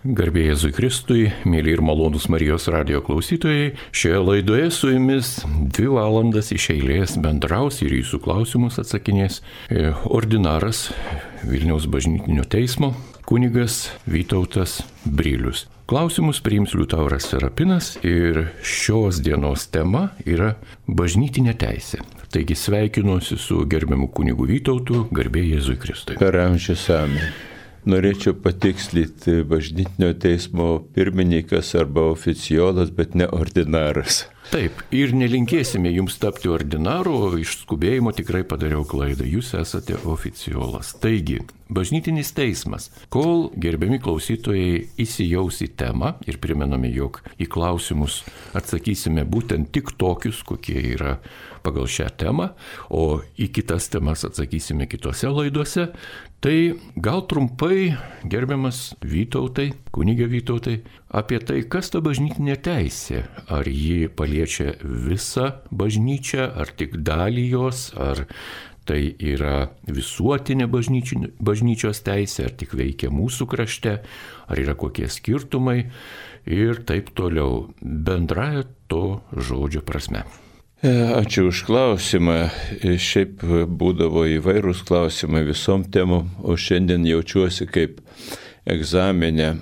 Garbė Jėzui Kristui, mėly ir malonūs Marijos radijo klausytojai, šioje laidoje su jumis 2 valandas iš eilės bendraus ir jūsų klausimus atsakinės ordinaras Vilniaus bažnytinio teismo kunigas Vytautas Brilius. Klausimus priims Liutauras Serapinas ir šios dienos tema yra bažnytinė teisė. Taigi sveikinuosi su gerbiamu kunigu Vytautu, garbė Jėzui Kristui. Per amžius amen. Norėčiau patikslinti bažnytinio teismo pirmininkas arba oficiolas, bet ne ordinaras. Taip, ir nelinkėsime jums tapti ordinaru, o iš skubėjimo tikrai padariau klaidą. Jūs esate oficiolas. Taigi, bažnytinis teismas. Kol gerbiami klausytojai įsijaus į temą ir primename, jog į klausimus atsakysime būtent tik tokius, kokie yra pagal šią temą, o į kitas temas atsakysime kitose laidose, tai gal trumpai, gerbiamas Vytautai, kunige Vytautai, apie tai, kas ta bažnytinė teisė. Ar ji paliečia visą bažnyčią, ar tik dalį jos, ar tai yra visuotinė bažnyčios teisė, ar tik veikia mūsų krašte, ar yra kokie skirtumai ir taip toliau, bendraja to žodžio prasme. Ačiū už klausimą. Šiaip būdavo įvairūs klausimai visom temom, o šiandien jaučiuosi kaip egzaminė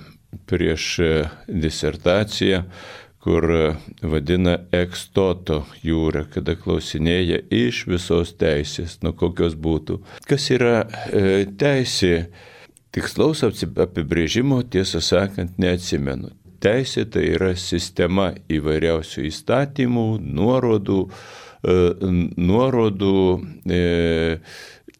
prieš disertaciją, kur vadina ex toto jūra, kada klausinėja iš visos teisės, nuo kokios būtų. Kas yra teisė? Tikslaus apibrėžimo, tiesą sakant, neatsimenu. Teisė tai yra sistema įvairiausių įstatymų, nuorodų,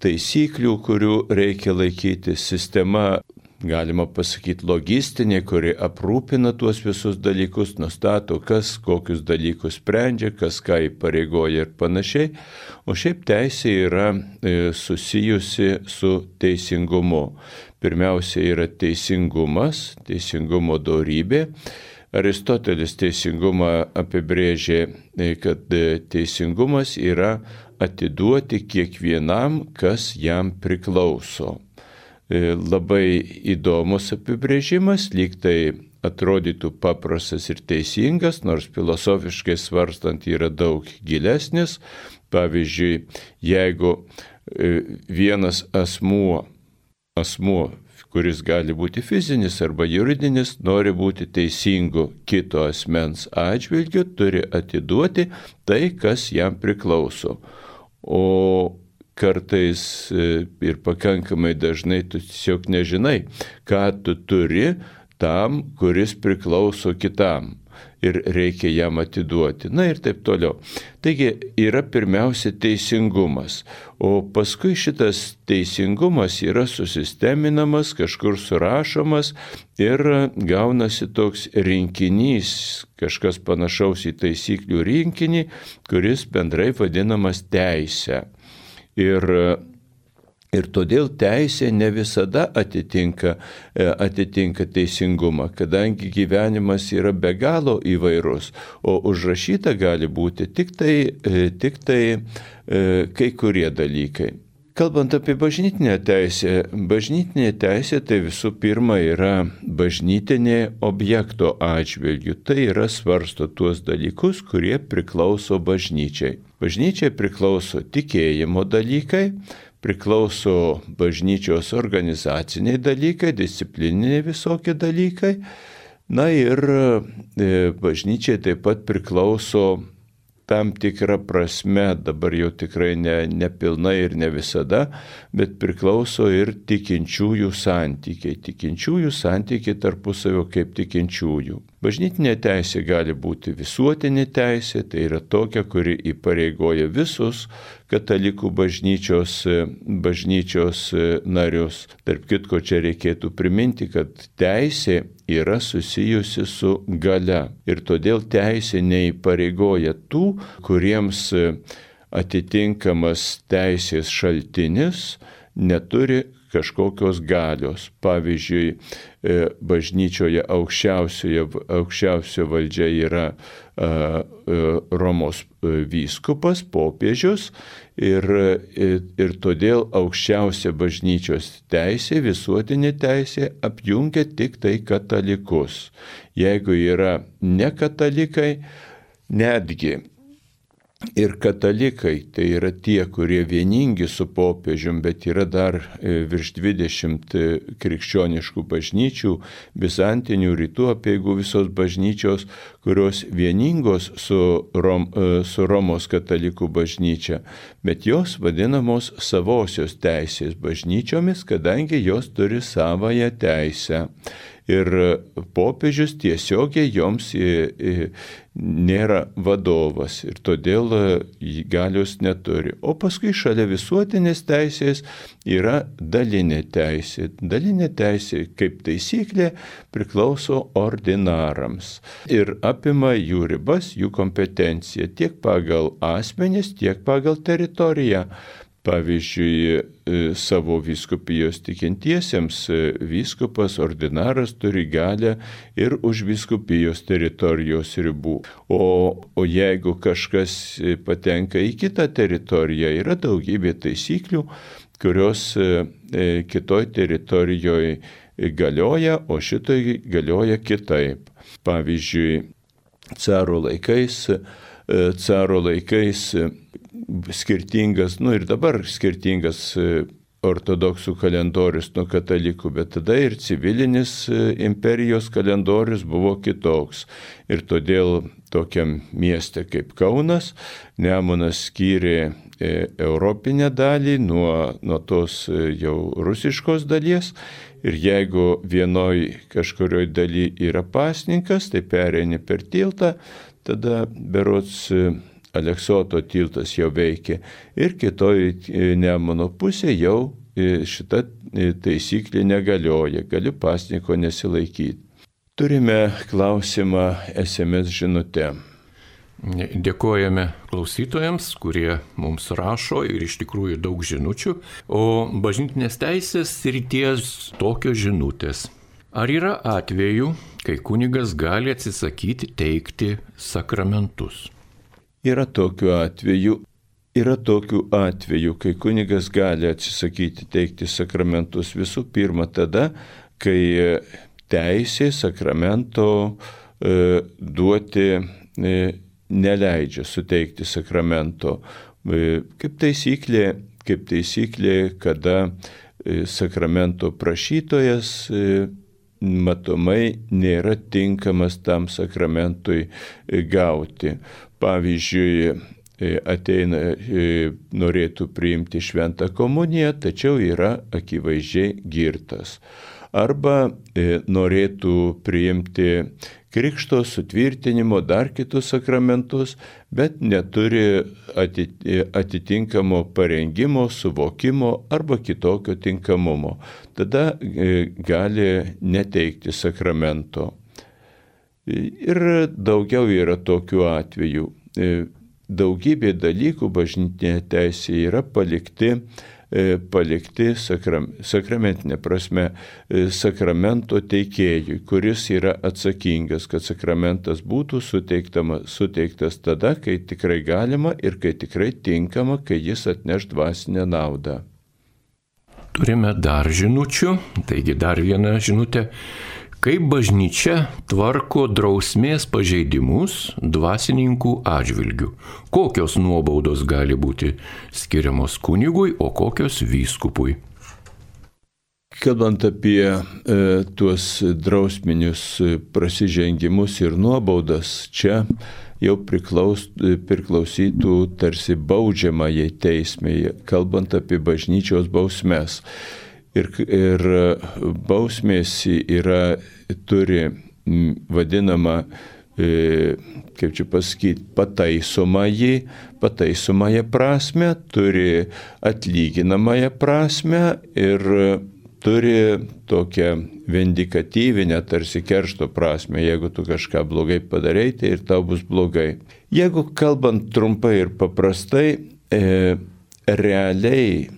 taisyklių, kurių reikia laikyti. Sistema, galima pasakyti, logistinė, kuri aprūpina tuos visus dalykus, nustato, kas kokius dalykus sprendžia, kas ką įpareigoja ir panašiai. O šiaip teisė yra susijusi su teisingumu. Pirmiausia yra teisingumas, teisingumo dorybė. Aristotelis teisingumą apibrėžė, kad teisingumas yra atiduoti kiekvienam, kas jam priklauso. Labai įdomus apibrėžimas, lyg tai atrodytų paprastas ir teisingas, nors filosofiškai svarstant yra daug gilesnis. Pavyzdžiui, jeigu vienas asmuo, kuris gali būti fizinis arba juridinis, nori būti teisingu kito asmens atžvilgiu, turi atiduoti tai, kas jam priklauso. O kartais ir pakankamai dažnai tu tiesiog nežinai, ką tu turi tam, kuris priklauso kitam ir reikia jam atiduoti. Na ir taip toliau. Taigi yra pirmiausia teisingumas, o paskui šitas teisingumas yra susisteminamas, kažkur surašomas ir gaunasi toks rinkinys, kažkas panašaus į taisyklių rinkinį, kuris bendrai vadinamas teisė. Ir todėl teisė ne visada atitinka teisingumą, kadangi gyvenimas yra be galo įvairus, o užrašyta gali būti tik tai kai kurie dalykai. Kalbant apie bažnytinę teisė tai visų pirma yra bažnytinė objekto atžvilgių. Tai yra svarsto tuos dalykus, kurie priklauso bažnyčiai. Bažnyčiai priklauso tikėjimo dalykai, priklauso bažnyčios organizaciniai dalykai, disciplininiai visokie dalykai. Na ir bažnyčiai taip pat priklauso tam tikrą prasme, dabar jau tikrai ne pilnai ir ne visada, bet priklauso ir tikinčiųjų santykiai. Tikinčiųjų santykiai tarpusavio kaip tikinčiųjų. Bažnytinė teisė gali būti visuotinė teisė, tai yra tokia, kuri įpareigoja visus katalikų bažnyčios narius. Tarp kitko, čia reikėtų priminti, kad teisė yra susijusi su galia ir todėl teisė neįpareigoja tų, kuriems atitinkamas teisės šaltinis neturi kažkokios galios. Pavyzdžiui, bažnyčioje aukščiausia valdžia yra Romos vyskupas, popiežius ir todėl aukščiausia bažnyčios teisė, visuotinė teisė apjungia tik tai katalikus. Jeigu yra nekatalikai, netgi ir katalikai, tai yra tie, kurie vieningi su popiežium, bet yra dar virš 20 krikščioniškų bažnyčių, bizantinių, rytų apeigų visos bažnyčios, kurios vieningos su Romos katalikų bažnyčia, bet jos vadinamos savosios teisės bažnyčiomis, kadangi jos turi savąją teisę. Ir popiežius tiesiogiai joms nėra vadovas ir todėl galios neturi. O paskui šalia visuotinės teisės yra dalinė teisė. Dalinė teisė, kaip taisyklė, priklauso ordinarams ir apima jų ribas, jų kompetenciją tiek pagal asmenis, tiek pagal teritoriją. Pavyzdžiui, savo vyskupijos tikintiesiems vyskupas, ordinaras turi galią ir už vyskupijos teritorijos ribų. O jeigu kažkas patenka į kitą teritoriją, yra daugybė taisyklių, kurios kitoj teritorijoje galioja, o šitoj galioja kitaip. Pavyzdžiui, caro laikais skirtingas, ir dabar skirtingas ortodoksų kalendorius nuo katalikų, bet tada ir civilinis imperijos kalendorius buvo kitoks. Ir todėl tokiam mieste kaip Kaunas Nemunas skyrė europinę dalį nuo tos jau rusiškos dalies. Ir jeigu vienoj kažkurioj daly yra pasninkas, tai pereini per tiltą, tada berods Aleksoto tiltas jau veikia ir kitoj Nemuno pusė jau šita taisyklė negalioja, gali pasninko nesilaikyti. Turime klausimą SMS žinute. Dėkojame klausytojams, kurie mums rašo ir iš tikrųjų daug žinučių, o bažnytinės teisės srities tokios žinutės. Ar yra atvejų, kai kunigas gali atsisakyti teikti sakramentus? Yra tokių atvejų, kai kunigas gali atsisakyti teikti sakramentus visų pirma tada, kai teisė sakramento duoti neleidžia suteikti sakramento. Kaip taisyklė, kada sakramento prašytojas matomai nėra tinkamas tam sakramentui gauti. Pavyzdžiui, ateina, norėtų priimti šventą komuniją, tačiau yra akivaizdžiai girtas. Arba norėtų priimti krikšto, sutvirtinimo, dar kitus sakramentus, bet neturi atitinkamo parengimo, suvokimo arba kitokio tinkamumo. Tada gali neteikti sakramento. Ir daugiau yra tokių atvejų. Daugybė dalykų bažnytinėje teisėje yra palikti sakramentinė prasme sakramento teikėjui, kuris yra atsakingas, kad sakramentas būtų suteiktas tada, kai tikrai galima ir kai tikrai tinkama, kai jis atneš dvasinę naudą. Turime dar žinučių, taigi dar viena žinutė. Kaip bažnyčia tvarko drausmės pažeidimus dvasininkų atžvilgių? Kokios nuobaudos gali būti skiriamos kunigui, o kokios vyskupui? Kalbant apie tuos drausminius prasižengimus ir nuobaudas, čia jau priklausytų tarsi baudžiamajai teismei, kalbant apie bažnyčios bausmes. Ir bausmės turi vadinamą, kaip čia pasakyti, pataisomąją prasme, turi atlyginamąją prasme ir turi tokią vindikatyvinę, tarsi keršto prasme. Jeigu tu kažką blogai padarai, tai ir tau bus blogai. Jeigu kalbant trumpai ir paprastai, realiai,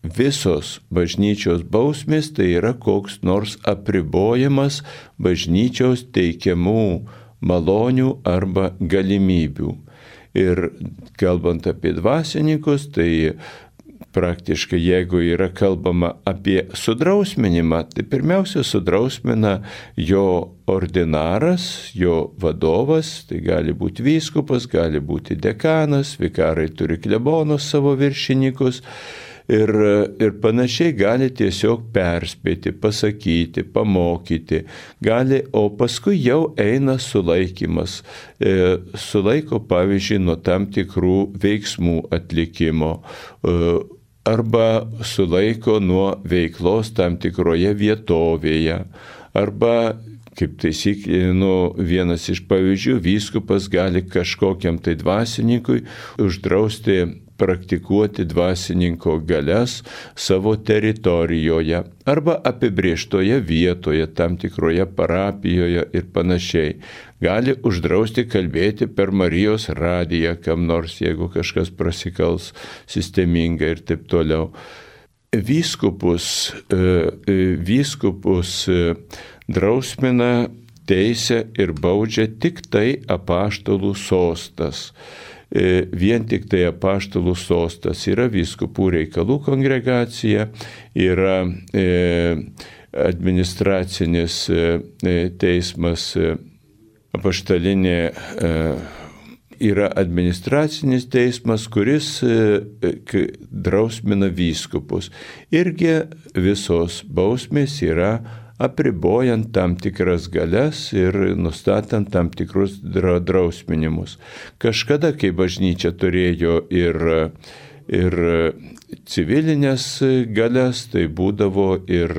visos bažnyčios bausmės tai yra koks nors apribojimas bažnyčios teikiamų malonių arba galimybių. Ir kalbant apie dvasininkus, tai praktiškai jeigu yra kalbama apie sudrausminimą, tai pirmiausia sudrausmina jo ordinaras, jo vadovas, tai gali būti vyskupas, gali būti dekanas, vikarai turi klebonus savo viršininkus. Ir panašiai gali tiesiog perspėti, pasakyti, pamokyti, gali, o paskui jau eina sulaikymas. Sulaiko, pavyzdžiui, nuo tam tikrų veiksmų atlikimo arba sulaiko nuo veiklos tam tikroje vietovėje arba, kaip taisyklė, vienas iš pavyzdžių, vyskupas gali kažkokiam tai dvasininkui uždrausti praktikuoti dvasininko galias savo teritorijoje arba apibrėžtoje vietoje, tam tikroje parapijoje ir panašiai. Gali uždrausti kalbėti per Marijos radiją kam nors, jeigu kažkas prasikals sistemingai ir taip toliau. Vyskupus drausmina, teisia ir baudžia tik tai apaštalų sostas. Vien tik tai apaštalų sostas. Yra vyskupų reikalų kongregacija, yra administracinis teismas, apaštalinė yra administracinis teismas, kuris drausmina vyskupus. Irgi visos bausmės yra apribojant tam tikras galias ir nustatant tam tikrus drausminimus. Kažkada, kai bažnyčia turėjo ir civilinės galias, tai būdavo ir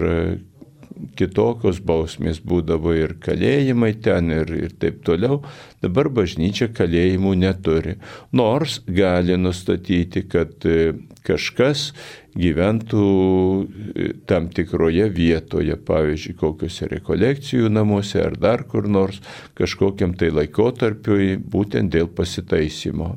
kitokios bausmės, būdavo ir kalėjimai ten ir taip toliau. Dabar bažnyčia kalėjimų neturi. Nors gali nustatyti, kad kažkas gyventų tam tikroje vietoje, pavyzdžiui, kokiuose rekolekcijų namuose ar dar kur nors, kažkokiam tai laikotarpiui, būtent dėl pasitaisymo.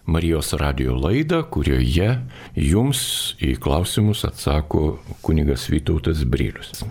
Marijos radijo laidą, kurioje jums į klausimus atsako kunigas Vytautas Brilius.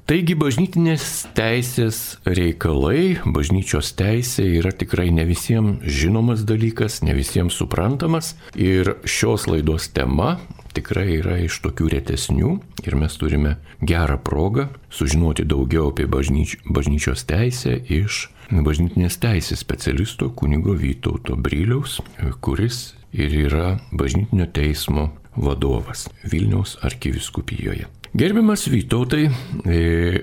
Taigi bažnytinės teisės reikalai, bažnyčios teisė yra tikrai ne visiems žinomas dalykas, ne visiems suprantamas ir šios laidos tema tikrai yra iš tokių retesnių ir mes turime gerą progą sužinoti daugiau apie bažnyčios teisę iš bažnytinės teisės specialisto kunigo Vytauto Briliaus, kuris ir yra bažnytinio teismo vadovas Vilniaus arkivyskupijoje. Gerbiamas Vytautai,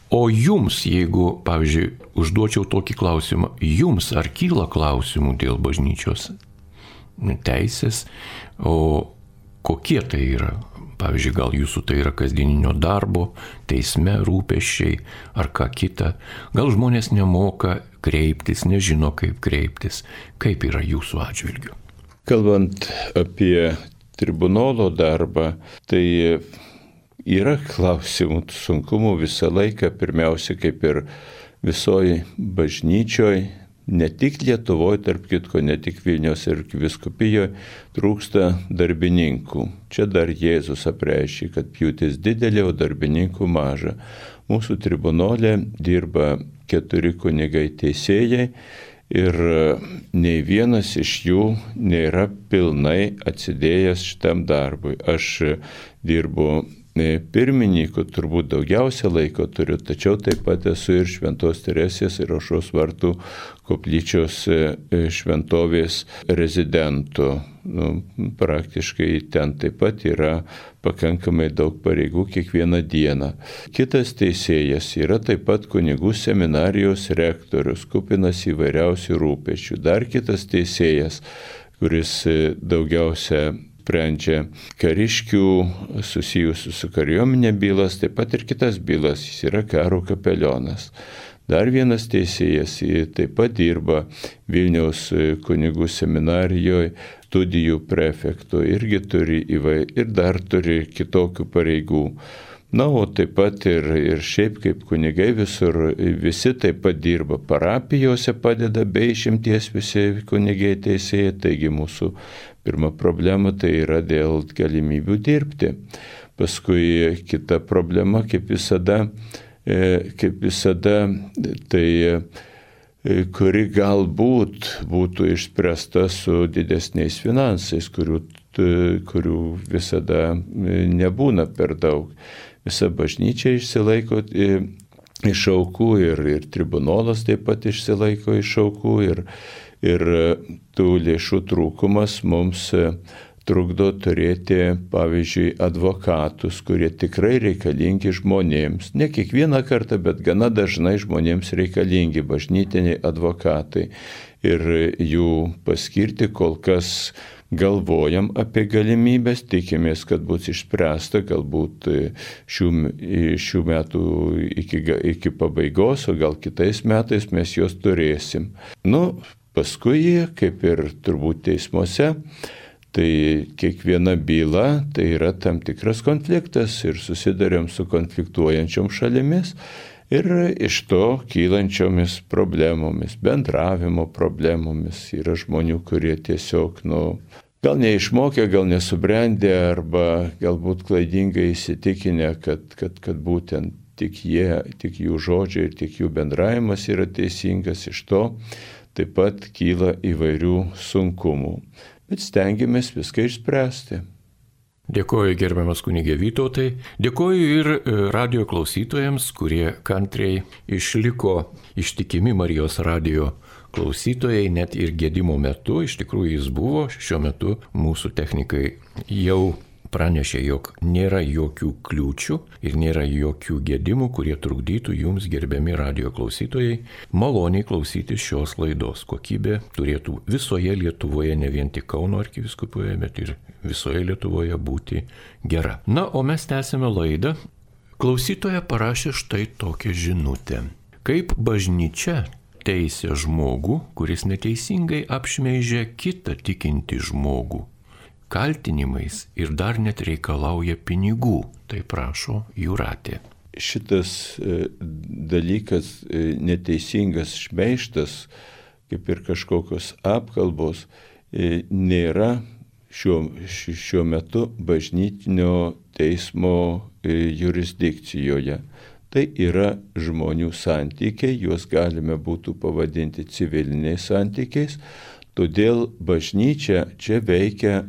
o jums, jeigu, pavyzdžiui, užduočiau tokį klausimą, jums ar kyla klausimų dėl bažnyčios teisės, o kokie tai yra? Pavyzdžiui, gal jūsų tai yra kasdieninio darbo, teisme rūpesčiai ar ką kita. Gal žmonės nemoka kreiptis, nežino kaip kreiptis. Kaip yra jūsų atžvilgiu? Kalbant apie tribunolo darbą, tai yra klausimų, sunkumų visą laiką, pirmiausia, kaip ir visoji bažnyčioj, ne tik Lietuvoje, tarp kitko, ne tik Vilniaus arkivyskupijoje, trūksta darbininkų. Čia dar Jėzus apreiškė, kad pjūtis didelė, o darbininkų maža. Mūsų tribunole dirba 4 kunigai teisėjai ir nei vienas iš jų nėra pilnai atsidėjęs šitam darbui. Aš dirbu pirmininku, turbūt daugiausia laiko turiu, tačiau taip pat esu ir Šventos Teresės ir Aušros vartų koplyčios šventovės rezidentu. Praktiškai ten taip pat yra pakankamai daug pareigų kiekvieną dieną. Kitas teisėjas yra taip pat kunigų seminarijos rektorius, kupinas įvairiausių rūpesčių. Dar kitas teisėjas, kuris daugiausia sprendžia kariškių susijusių su kariuomenė bylas, taip pat ir kitas bylas, jis yra karo kapelionas. Dar vienas teisėjas taip pat dirba Vilniaus kunigų seminarijoje studijų prefektu, irgi turi ir dar turi kitokių pareigų. Na, o taip pat ir šiaip kaip kunigai visur, visi taip pat dirba parapijose, padeda be išimties visi kunigai teisėjai, taigi mūsų Pirma problema tai yra dėl galimybių dirbti. Paskui kita problema, kaip visada, tai kuri galbūt būtų išspręsta su didesniais finansais, kurių visada nebūna per daug. Visa bažnyčia išsilaiko iš aukų ir tribunolas taip pat išsilaiko iš aukų ir tų lėšų trūkumas mums trukdo turėti, pavyzdžiui, advokatus, kurie tikrai reikalingi žmonėms. Ne kiekvieną kartą, bet gana dažnai žmonėms reikalingi bažnytiniai advokatai. Ir jų paskirti kol kas galvojam apie galimybės, tikimės, kad bus išspręsta galbūt šių metų iki pabaigos, o gal kitais metais mes juos turėsim. Paskui, kaip ir turbūt teismuose, tai kiekviena byla tai yra tam tikras konfliktas ir susidarėm su konfliktuojančiom šalimis ir iš to kylančiomis problemomis, bendravimo problemomis. Yra žmonių, kurie tiesiog, gal neišmokę, gal nesubrendę arba galbūt klaidingai įsitikinę, kad būtent tik jų žodžiai ir tik jų bendravimas yra teisingas, iš to taip pat kyla įvairių sunkumų. Bet stengiamės viską išspręsti. Dėkoju gerbiamas kunigė Vytautai, dėkoju ir radijo klausytojams, kurie kantriai išliko ištikimi Marijos radijo klausytojai, net ir gedimo metu, iš tikrųjų jis buvo, šiuo metu mūsų technikai jau pranešė, jog nėra jokių kliūčių ir nėra jokių gedimų, kurie trukdytų jums, gerbiami radijo klausytojai, maloniai klausytis šios laidos. Kokybė turėtų visoje Lietuvoje, ne vien tik Kauno arkivyskupijoje, bet ir visoje Lietuvoje būti gera. O mes tęsime laidą. Klausytoja parašė štai tokią žinutę. Kaip bažnyčia teisia žmogų, kuris neteisingai apšmeižia kitą tikintį žmogų kaltinimais ir dar net reikalauja pinigų, tai prašo Jūratė. Šitas dalykas, neteisingas šmeižtas, kaip ir kažkokios apkalbos, nėra šiuo metu bažnytinio teismo jurisdikcijoje. Tai yra žmonių santykiai, juos galime būtų pavadinti civiliniais santykiais, todėl bažnyčia čia veikia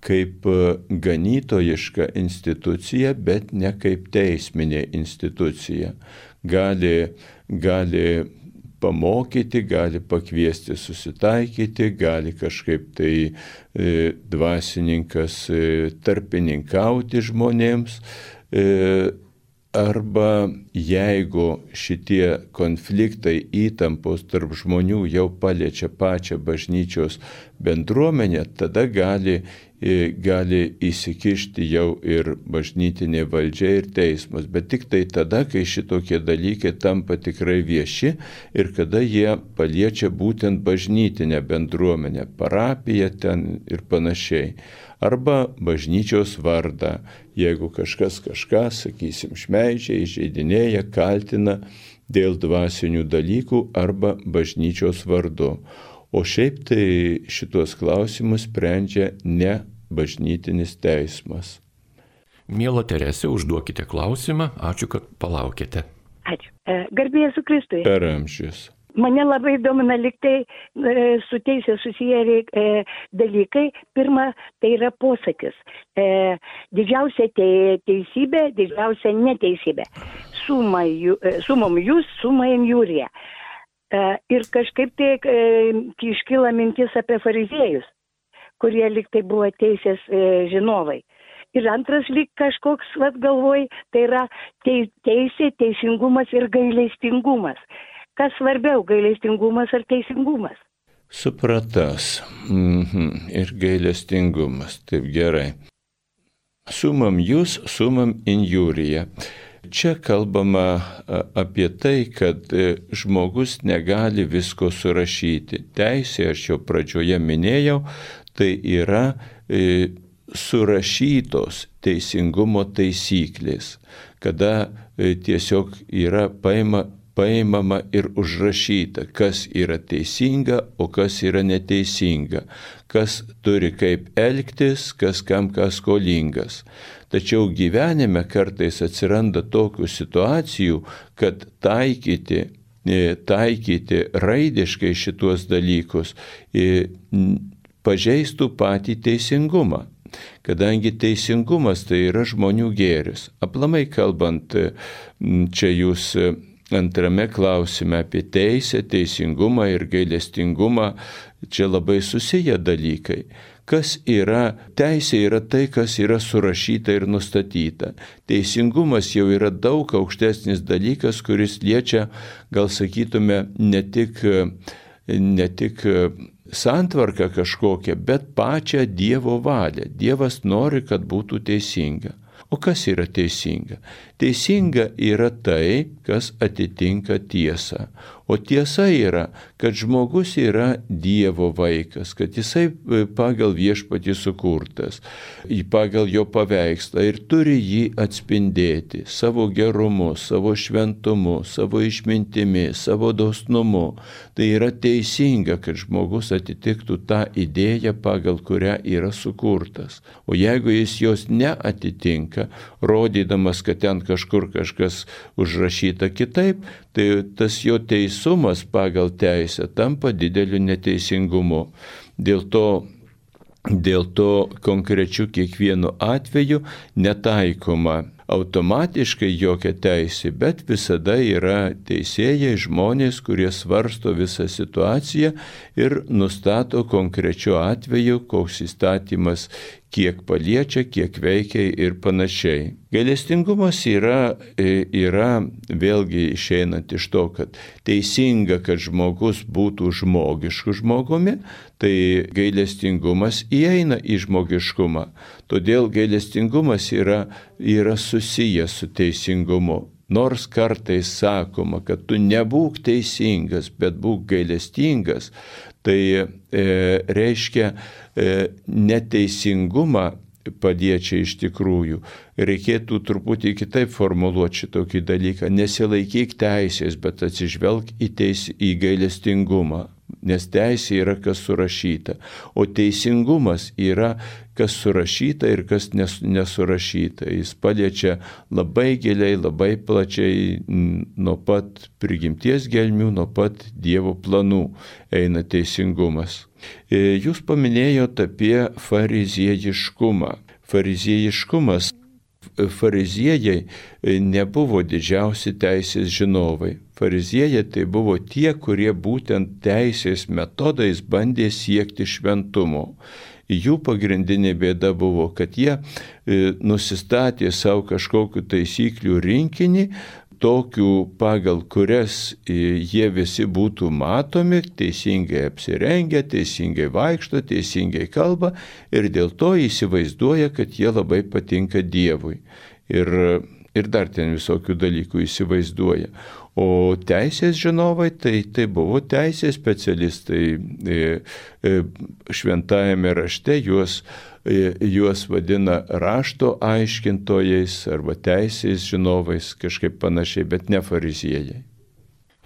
kaip ganytojiška institucija, bet ne kaip teisminė institucija. Gali pamokyti, gali pakviesti susitaikyti, gali kažkaip tai dvasininkas tarpininkauti žmonėms. Arba jeigu šitie konfliktai, įtampos tarp žmonių jau paliečia pačią bažnyčios bendruomenę, tada gali įsikišti jau ir bažnytinė valdžia ir teismas. Bet tik tai tada, kai šitokie dalykai tampa tikrai vieši ir kada jie paliečia būtent bažnytinę bendruomenę, parapiją ten ir panašiai. Arba bažnyčios vardą, jeigu kažkas kažką, sakysim, šmeižia, įžeidinėja, kaltina dėl dvasinių dalykų arba bažnyčios vardu. O šiaip tai šitos klausimus sprendžia ne bažnytinis teismas. Miela Teresė, užduokite klausimą. Ačiū, kad palaukėte. Ačiū. Garbė Jėzui Kristui. Per amžius. Mane labai domina liktai su teisė susiję dalykai. Pirma, tai yra posakis. Didžiausia teisybė, didžiausia neteisybė. Sumom jūs, summa in jūrija. Ir kažkaip tai iškyla mintis apie fariziejus, kurie liktai buvo teisės žinovai. Ir antras lyg kažkoks, galvoj, tai yra teisė, teisingumas ir gailestingumas. Kas svarbiau, gailestingumas ar teisingumas? Supratas. Ir gailestingumas. Taip, gerai. Sumam jūs, sumam in jūrija. Čia kalbama apie tai, kad žmogus negali visko surašyti. Teisė, aš jau pradžioje minėjau, tai yra surašytos teisingumo taisyklės, kada tiesiog yra paima paimama ir užrašyta, kas yra teisinga, o kas yra neteisinga, kas turi kaip elgtis, kas kam kas skolingas. Tačiau gyvenime kartais atsiranda tokių situacijų, kad taikyti raidiškai šituos dalykus pažeistų patį teisingumą. Kadangi teisingumas tai yra žmonių gėris. Aplamai kalbant, čia jūs antrame klausime apie teisę, teisingumą ir gailestingumą, čia labai susiję dalykai. Kas yra teisė, yra tai, kas yra surašyta ir nustatyta. Teisingumas jau yra daug aukštesnis dalykas, kuris liečia, gal sakytume, ne tik santvarką kažkokią, bet pačią Dievo valią. Dievas nori, kad būtų teisinga. O kas yra teisinga? Teisinga yra tai, kas atitinka tiesą. O tiesa yra, kad žmogus yra Dievo vaikas, kad jisai pagal viešpatį sukurtas, pagal jo paveikslą ir turi jį atspindėti savo gerumu, savo šventumu, savo išmintimi, savo dosnumu. Tai yra teisinga, kad žmogus atitiktų tą idėją, pagal kurią yra sukurtas. O jeigu jis jos neatitinka, rodydamas, kad ten kažkur kažkas užrašyta kitaip, tai tas jo teisumas pagal teisę tampa dideliu neteisingumu. Dėl to konkrečiu kiekvienu atveju netaikoma automatiškai jokia teisė, bet visada yra teisėjai, žmonės, kurie svarsto visą situaciją ir nustato konkrečiu atveju, koks įstatymas kiek paliečia, kiek veikia ir panašiai. Gailestingumas yra vėlgi išeinant iš to, kad teisinga, kad žmogus būtų žmogišku žmogumi, tai gailestingumas įeina į žmogiškumą. Todėl gailestingumas yra susijęs su teisingumu. Nors kartais sakoma, kad tu nebūk teisingas, bet būk gailestingas, tai reiškia neteisingumą paliečia iš tikrųjų. Reikėtų truputį kitaip formuluoti šitokį dalyką. Nesilaikyk teisės, bet atsižvelk į gailestingumą. Nes teisė yra kas surašyta, o teisingumas yra kas surašyta ir kas nesurašyta. Jis paliečia labai giliai, labai plačiai, nuo pat prigimties gelmių, nuo pat Dievo planų eina teisingumas. Jūs paminėjote apie fariziejiškumą. Fariziejai nebuvo didžiausi teisės žinovai. Fariziejai tai buvo tie, kurie būtent teisės metodais bandė siekti šventumo. Jų pagrindinė bėda buvo, kad jie nusistatė savo kažkokių taisyklių rinkinį, tokių, pagal kurias jie visi būtų matomi, teisingai apsirengę, teisingai vaikšto, teisingai kalba ir dėl to įsivaizduoja, kad jie labai patinka Dievui. Ir dar ten visokių dalykų įsivaizduoja. O teisės žinovai tai buvo teisės specialistai. Šventajame rašte juos vadina rašto aiškintojais arba teisės žinovais, kažkaip panašiai, bet ne fariziejai.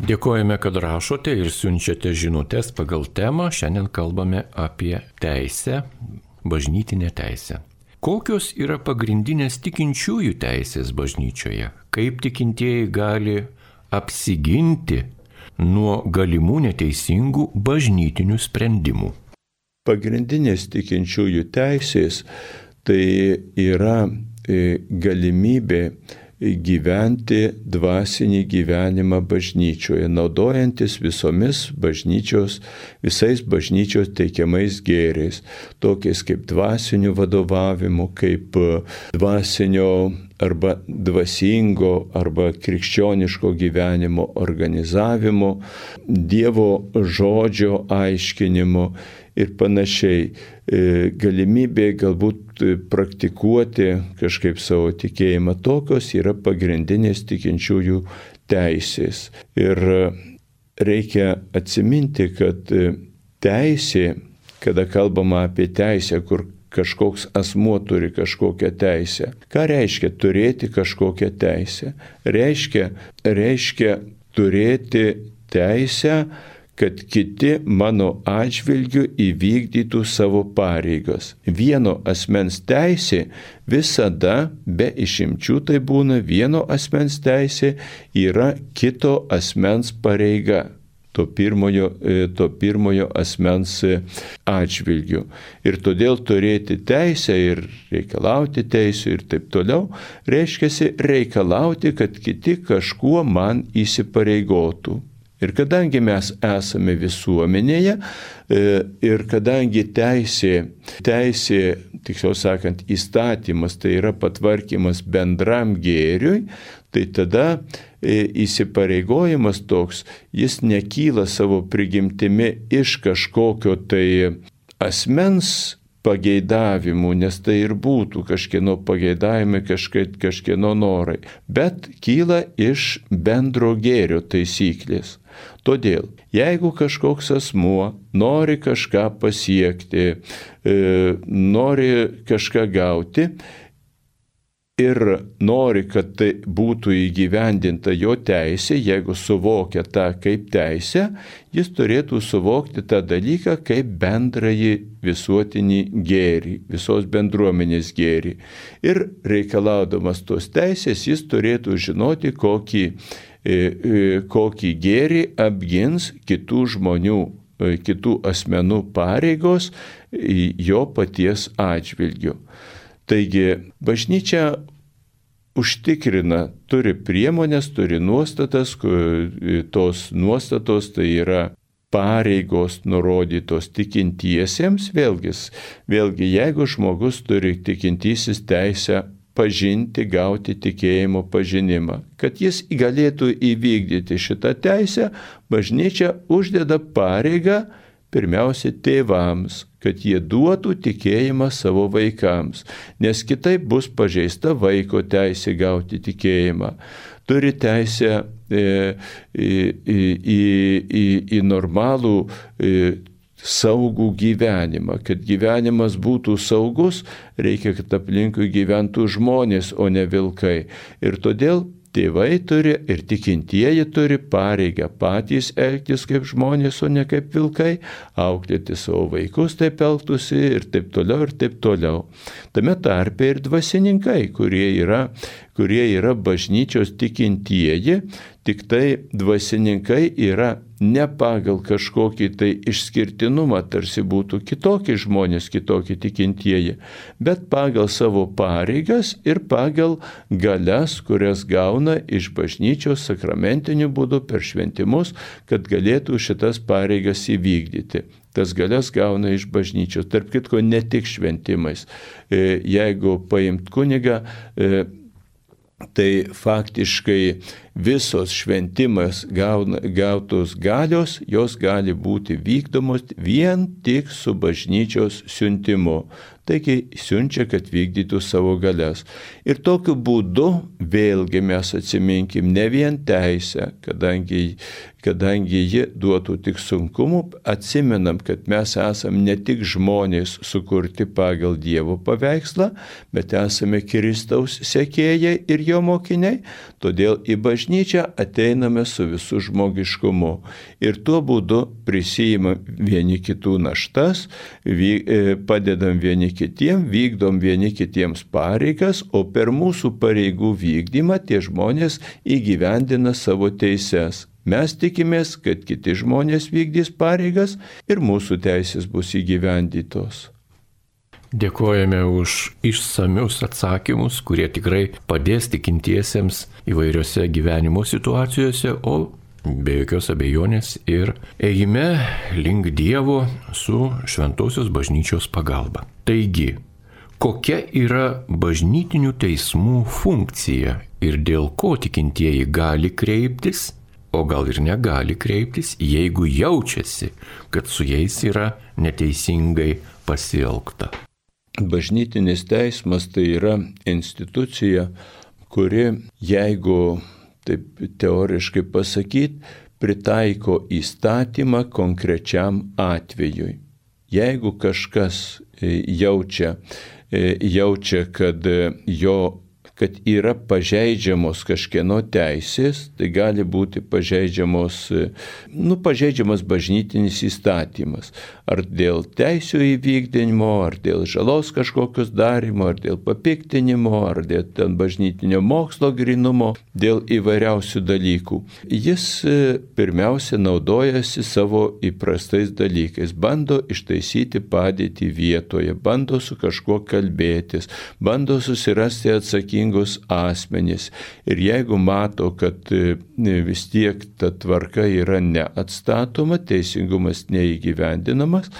Dėkojame, kad rašote ir siunčiate žinutės pagal temą. Šiandien kalbame apie teisę, bažnytinę teisę. Kokios yra pagrindinės tikinčiųjų teisės bažnyčioje? Kaip tikintieji gali apsiginti nuo galimų neteisingų bažnytinių sprendimų? Pagrindinės tikinčiųjų teisės tai yra galimybė gyventi dvasinį gyvenimą bažnyčioje, naudojantis visais bažnyčios teikiamais gėriais, tokiais kaip dvasiniu vadovavimu, kaip dvasinio arba dvasingo arba krikščioniško gyvenimo organizavimu, Dievo žodžio aiškinimu ir panašiai. Galimybė galbūt praktikuoti kažkaip savo tikėjimą. Tokios yra pagrindinės tikinčiųjų teisės. Ir reikia atsiminti, kad teisė, kada kalbama apie teisę, kur kažkoks asmuo turi kažkokią teisę. Ką reiškia turėti kažkokią teisę? Reiškia turėti teisę, kad kiti mano atžvilgiu įvykdytų savo pareigas. Vieno asmens teisė visada, be išimčių tai būna, vieno asmens teisė yra kito asmens pareiga. To pirmojo asmens atžvilgiu. Ir todėl turėti teisę ir reikalauti teisų ir taip toliau, reiškia reikalauti, kad kiti kažkuo man įsipareigotų. Ir kadangi mes esame visuomenėje ir kadangi teisė, tiksliau sakant, įstatymas, tai yra patvarkymas bendram gėriui, tai tada įsipareigojimas toks, jis nekyla savo prigimtimi iš kažkokio tai asmens pageidavimų, nes tai ir būtų kažkieno pageidavimai, kažkieno norai, bet kyla iš bendro gėrio taisyklės. Todėl, jeigu kažkoks asmuo nori kažką pasiekti, nori kažką gauti ir nori, kad tai būtų įgyvendinta jo teisė, jeigu suvokia tą kaip teisę, jis turėtų suvokti tą dalyką kaip bendrąjį visuotinį gėrį, visos bendruomenės gėrį. Ir reikalaudamas tos teisės, jis turėtų žinoti, kokį gėrį apgins kitų žmonių, kitų asmenų pareigos jo paties atžvilgiu. Taigi, bažnyčia užtikrina, turi priemonės, turi nuostatas, tos nuostatos tai yra pareigos nurodytos tikintiesiems, vėlgi, jeigu žmogus turi tikintysis teisę pažinti, gauti tikėjimo pažinimą, kad jis galėtų įvykdyti šitą teisę, bažnyčia uždeda pareigą pirmiausia tėvams, kad jie duotų tikėjimą savo vaikams, nes kitaip bus pažeista vaiko teisė gauti tikėjimą. Turi teisę į normalų saugų gyvenimą. Kad gyvenimas būtų saugus, reikia, kad aplinkui gyventų žmonės, o ne vilkai. Ir todėl tėvai turi ir tikintieji turi pareigą patys elgtis kaip žmonės, o ne kaip vilkai, auklėti savo vaikus taip elgtųsi ir taip toliau ir taip toliau. Tame tarpe ir dvasininkai, kurie yra bažnyčios tikintieji, tik tai dvasininkai yra ne pagal kažkokį tai išskirtinumą, tarsi būtų kitokie žmonės, kitokie tikintieji, bet pagal savo pareigas ir pagal galias, kurias gauna iš bažnyčios sakramentiniu būdu per šventimus, kad galėtų šitas pareigas įvykdyti. Tas galias gauna iš bažnyčios, tarp kitko ne tik šventimais. Jeigu paimt kunigą, tai faktiškai visos šventimas gautos galios, jos gali būti vykdomos vien tik su bažnyčios siuntimu. Taigi siunčia, kad vykdytų savo galias. Ir tokiu būdu vėlgi mes atsiminkim ne vien teisę, kadangi ji duotų tik sunkumų, atsimenam, kad mes esam ne tik žmonės sukurti pagal Dievo paveikslą, bet esame Kristaus sekėjai ir jo mokiniai, todėl į bažnyčią ateiname su visu žmogiškumu. Ir tuo būdu prisijimam vieni kitų naštas, padedam vieni kitiem, vykdom vieni kitiems pareigas, o per mūsų pareigų vykdymą tie žmonės įgyvendina savo teises. Mes tikimės, kad kiti žmonės vykdys pareigas ir mūsų teisės bus įgyvendytos. Dėkojame už išsamius atsakymus, kurie tikrai padės tikintiesiems įvairiose gyvenimo situacijose, o be jokios abejonės ir ėjime link Dievo su šventosios bažnyčios pagalba. Taigi, kokia yra bažnytinių teismų funkcija ir dėl ko tikintieji gali kreiptis, o gal ir negali kreiptis, jeigu jaučiasi, kad su jais yra neteisingai pasielgta? Bažnytinis teismas tai yra institucija, kuri, jeigu taip teoriškai pasakyti, pritaiko įstatymą konkrečiam atvejui. Jeigu kažkas jaučia, kad jo kad yra pažeidžiamos kažkieno teisės, tai gali būti pažeidžiamas bažnytinis įstatymas. Ar dėl teisių įvykdymo, ar dėl žalos kažkokios darimo, ar dėl papiktinimo, ar dėl ten bažnytinio mokslo grynumo, dėl įvairiausių dalykų. Jis pirmiausia naudojasi savo įprastais dalykais, bando ištaisyti padėtį vietoje, bando su kažkuo kalbėtis, bando susirasti atsakingus asmenys. Ir jeigu mato, kad vis tiek ta tvarka yra neatstatoma, teisingumas neįgyvendinamas,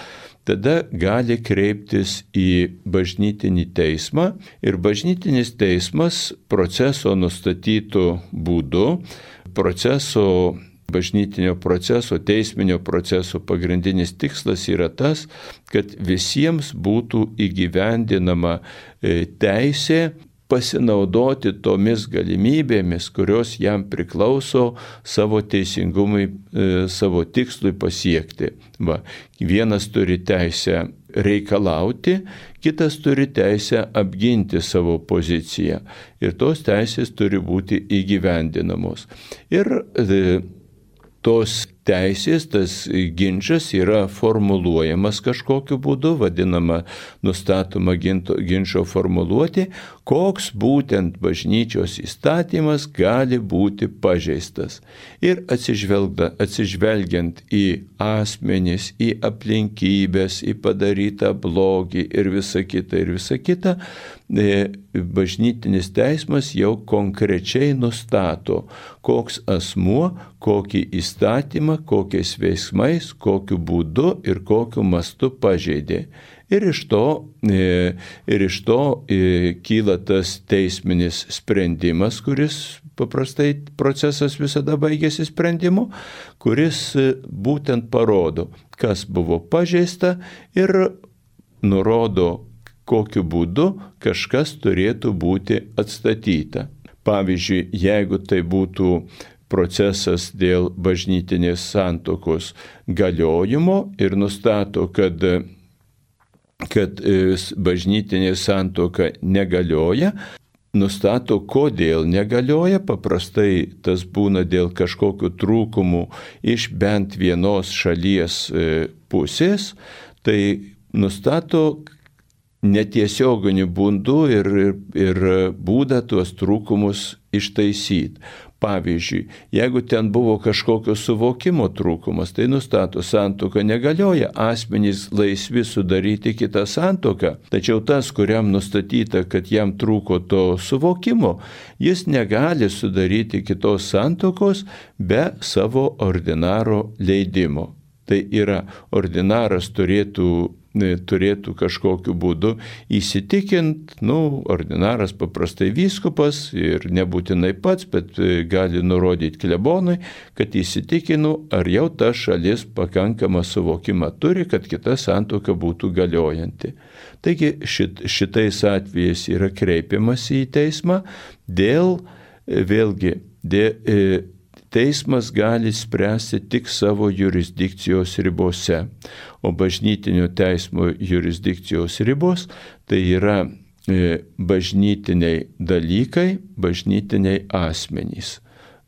tada gali kreiptis į bažnytinį teismą ir bažnytinis teismas proceso nustatytų būdu, bažnytinio proceso, teisminio proceso pagrindinis tikslas yra tas, kad visiems būtų įgyvendinama teisė pasinaudoti tomis galimybėmis, kurios jam priklauso savo teisingumui, savo tikslui pasiekti. Vienas turi teisę reikalauti, kitas turi teisę apginti savo poziciją. Ir tos teisės turi būti įgyvendinamos. Ir tos teisės, tas ginčas yra formuluojamas kažkokiu būdu, nustatoma ginčo formuluoti, koks būtent bažnyčios įstatymas gali būti pažeistas. Ir atsižvelgiant į asmenis, į aplinkybės, į padarytą blogį ir visa kita, bažnytinis teismas jau konkrečiai nustato, koks asmuo, kokį įstatymą, kokiais veiksmais, kokiu būdu ir kokiu mastu pažeidė. Ir iš to kyla tas teisminis sprendimas, kuris paprastai procesas visada baigėsi sprendimu, kuris būtent parodo, kas buvo pažeista ir nurodo, kokiu būdu kažkas turėtų būti atstatyta. Pavyzdžiui, jeigu tai būtų procesas dėl bažnytinės santuokos galiojimo ir nustato, kad bažnytinė santuoka negalioja, nustato, kodėl negalioja, paprastai tas būna dėl kažkokių trūkumų iš bent vienos šalies pusės, tai nustato netiesioginiu būdu ir būdą tuos trūkumus ištaisyti. Pavyzdžiui, jeigu ten buvo kažkokio suvokimo trūkumas, tai nustato, santuoka negalioja, asmenys laisvi sudaryti kitą santuoką, tačiau tas, kuriam nustatyta, kad jam trūko to suvokimo, jis negali sudaryti kitos santuokos be savo ordinaro leidimo. Tai yra, ordinaras turėtų kažkokiu būdu įsitikint, ordinaras paprastai vyskupas ir nebūtinai pats, bet gali nurodyti klebonui, kad įsitikinu, ar jau ta šalis pakankamą suvokimą turi, kad kita santuoka būtų galiojanti. Taigi šitais atvejais yra kreipiamasi į teismą teismas gali spręsti tik savo jurisdikcijos ribose, o bažnytinio teismo jurisdikcijos ribos tai yra bažnytiniai dalykai, bažnytiniai asmenys.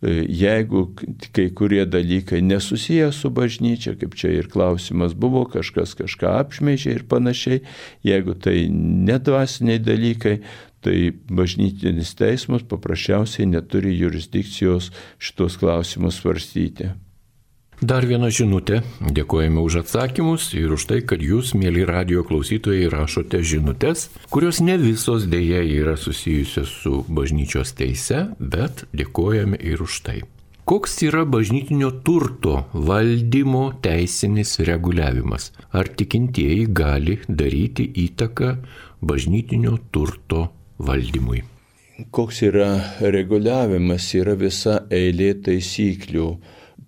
Jeigu kai kurie dalykai nesusiję su bažnyčia, kaip čia ir klausimas buvo, kažkas kažką apšmeižė ir panašiai, jeigu tai nedvasiniai dalykai, tai bažnytinis teismas paprasčiausiai neturi jurisdikcijos šitos klausimus svarstyti. Dar viena žinutė. Dėkojame už atsakymus ir už tai, kad jūs, mėly radijo klausytojai, rašote žinutės, kurios ne visos dėja yra susijusios su bažnyčios teise, bet dėkojame ir už tai. Koks yra bažnytinio turto valdymo teisinis reguliavimas? Ar tikintieji gali daryti įtaką bažnytinio turto valdymui? Koks yra reguliavimas? Yra visa eilė taisyklių,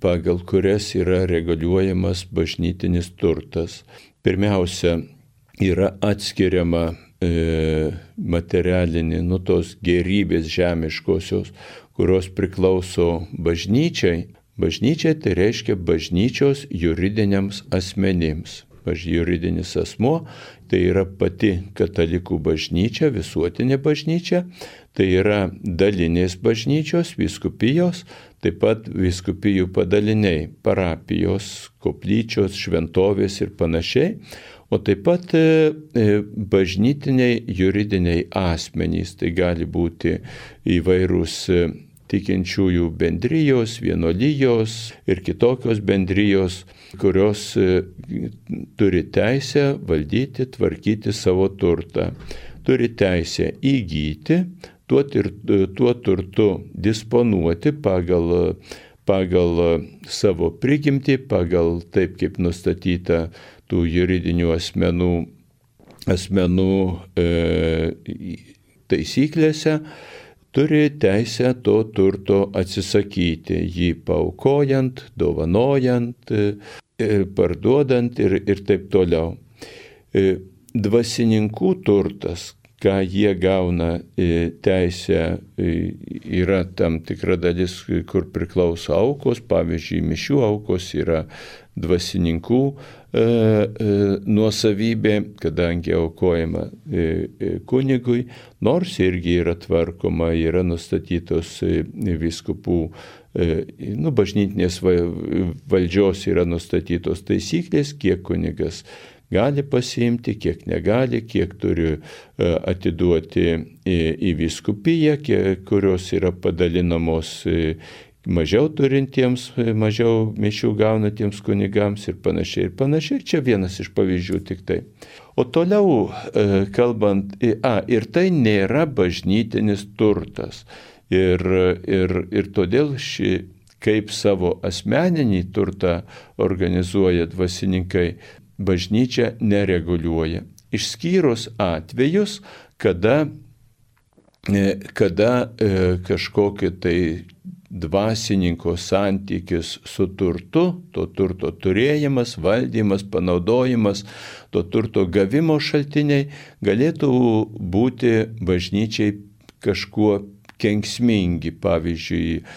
pagal kurias yra reguliuojamas bažnytinis turtas. Pirmiausia, yra atskiriama materialinė, tos gerybės žemiškosios, kurios priklauso bažnyčiai. Bažnyčiai tai reiškia bažnyčios juridiniams asmenims. juridinis asmuo, tai yra pati katalikų bažnyčia, visuotinė bažnyčia, tai yra dalinės bažnyčios, vyskupijos, taip pat vyskupijų padaliniai, parapijos, koplyčios, šventovės ir panašiai, o taip pat bažnytiniai juridiniai asmenys, tai gali būti įvairūs tikinčiųjų bendrijos, vienuolijos ir kitokios bendrijos, kurios turi teisę valdyti, tvarkyti savo turtą, turi teisę įgyti, tuo turtu disponuoti pagal savo prigimtį, pagal taip, kaip nustatyta tų juridinių asmenų taisyklėse, turi teisę to turto atsisakyti, jį paaukojant, dovanojant, parduodant ir taip toliau. Dvasininkų turtas, ką jie gauna teisę, yra tam tikra dalis, kur priklauso aukos, pavyzdžiui, mišių aukos yra dvasininkų nuosavybė, kadangi aukojama kunigui, nors irgi yra tvarkoma, yra nustatytos vyskupų, bažnytinės valdžios yra nustatytos taisyklės, kiek kunigas gali pasiimti, kiek negali, kiek turi atiduoti į vyskupiją, kurios yra padalinamos mažiau turintiems, mažiau mišių gaunantiems kunigams ir panašiai. Čia vienas iš pavyzdžių tik tai. O toliau kalbant, ir tai nėra bažnytinis turtas. Ir todėl kaip savo asmeninį turtą organizuoja dvasininkai, bažnyčia nereguliuoja. Išskyrus atvejus, kada kažkokie tai dvasininko santykis su turtu, to turto turėjimas, valdymas, panaudojimas, to turto gavimo šaltiniai galėtų būti bažnyčiai kažkuo kenksmingi, pavyzdžiui,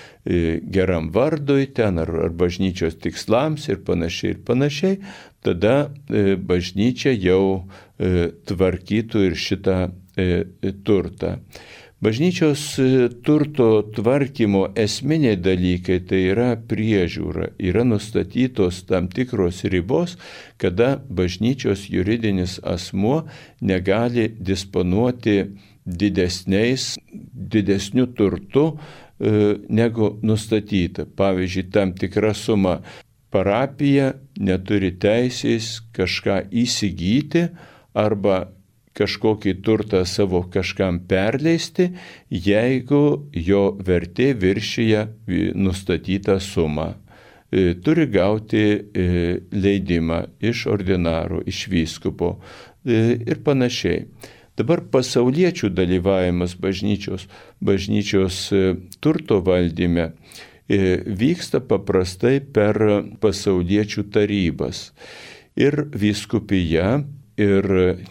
geram vardui ten ar bažnyčios tikslams ir panašiai, tada bažnyčia jau tvarkytų ir šitą turtą. Bažnyčios turto tvarkymo esminiai dalykai tai yra priežiūra, yra nustatytos tam tikros ribos, kada bažnyčios juridinis asmuo negali disponuoti didesniu turtu negu nustatyta. Pavyzdžiui, tam tikra suma parapija neturi teisės kažką įsigyti arba kažkokį turtą savo kažkam perleisti, jeigu jo vertė viršyje nustatytą sumą. Turi gauti leidimą iš ordinaro, iš vyskupo ir panašiai. Dabar pasauliečių dalyvavimas bažnyčios turto valdyme vyksta paprastai per pasauliečių tarybas. Ir vyskupija, ir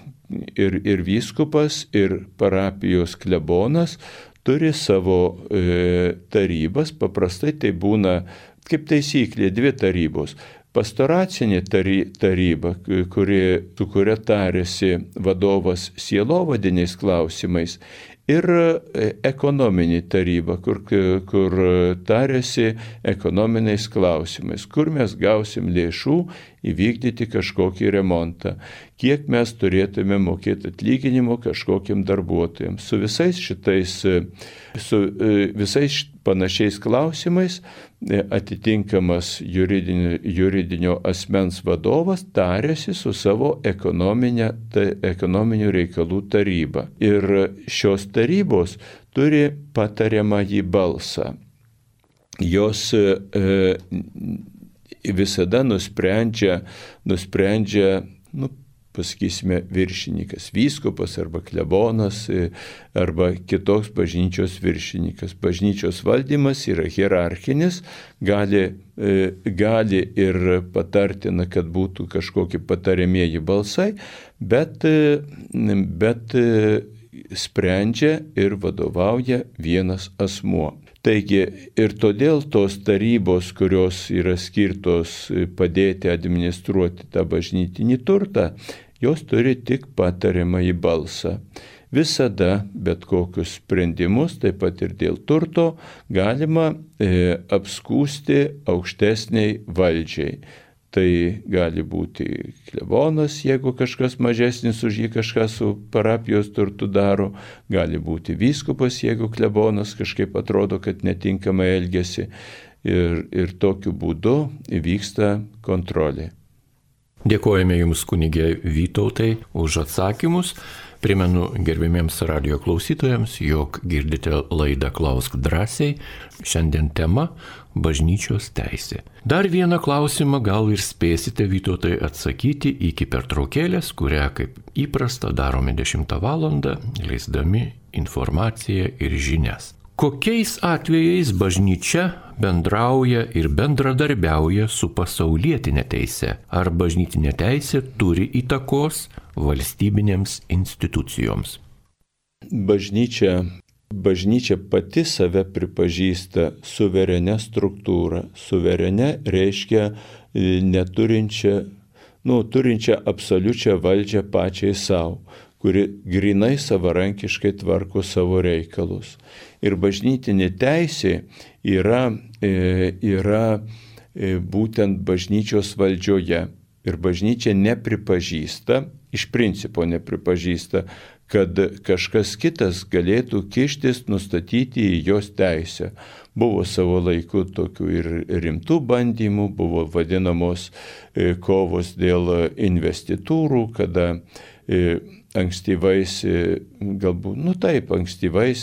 vyskupas, ir parapijos klebonas turi savo tarybas. Paprastai tai būna, kaip taisyklė, 2 tarybos. Pastoracinė taryba, su kuria tarėsi vadovas sielovadiniais klausimais, ir ekonominė taryba, kur tarėsi ekonominiais klausimais, kur mes gausim lėšų įvykdyti kažkokį remontą, kiek mes turėtume mokėti atlyginimo kažkokiam darbuotojams. Su visais panašiais klausimais atitinkamas juridinio asmens vadovas tarėsi su savo ekonominių reikalų taryba. Ir šios tarybos turi patariamąjį balsą. Jos visada nusprendžia, pasakysime, viršininkas, vyskupas arba klebonas arba kitoks bažnyčios viršininkas. Bažnyčios valdymas yra hierarchinis, gali ir patartina, kad būtų kažkokie patariamieji balsai, bet sprendžia ir vadovauja vienas asmuo. Taigi ir todėl tos tarybos, kurios yra skirtos padėti administruoti tą bažnytinį turtą, jos turi tik patariamąjį balsą. Visada bet kokius sprendimus, taip pat ir dėl turto, galima apskūsti aukštesniai valdžiai. Tai gali būti klebonas, jeigu kažkas mažesnis už jį kažką su parapijos turtu daro, gali būti vyskupas, jeigu klebonas kažkaip atrodo, kad netinkamai elgesi. Ir tokiu būdu vyksta kontrolė. Dėkojame Jums, kunigė Vytautai, už atsakymus. Primenu gerbimiems radijo klausytojams, jog girdite laidą Klausk drąsiai. Šiandien tema – bažnyčios teisė. Dar vieną klausimą gal ir spėsite, Vytautai, atsakyti iki pertraukėlės, kurią kaip įprasta darome 10 valandą, leisdami informaciją ir žinias. Kokiais atvejais bažnyčia bendrauja ir bendradarbiauja su pasaulietinė teise? Ar bažnytinė teisė turi įtakos valstybinėms institucijoms? Bažnyčia pati save pripažįsta suverenia struktūra. Suverenia reiškia turinčią absoliučią valdžią pačiai savo, kuri grinai savarankiškai tvarko savo reikalus. Ir bažnytinė teisė yra būtent bažnyčios valdžioje. Ir bažnyčia nepripažįsta, iš principo nepripažįsta, kad kažkas kitas galėtų kištis, nustatyti į jos teisę. Buvo savo laiku tokių ir rimtų bandymų, buvo vadinamos kovos dėl investitūrų, kada ankstyvais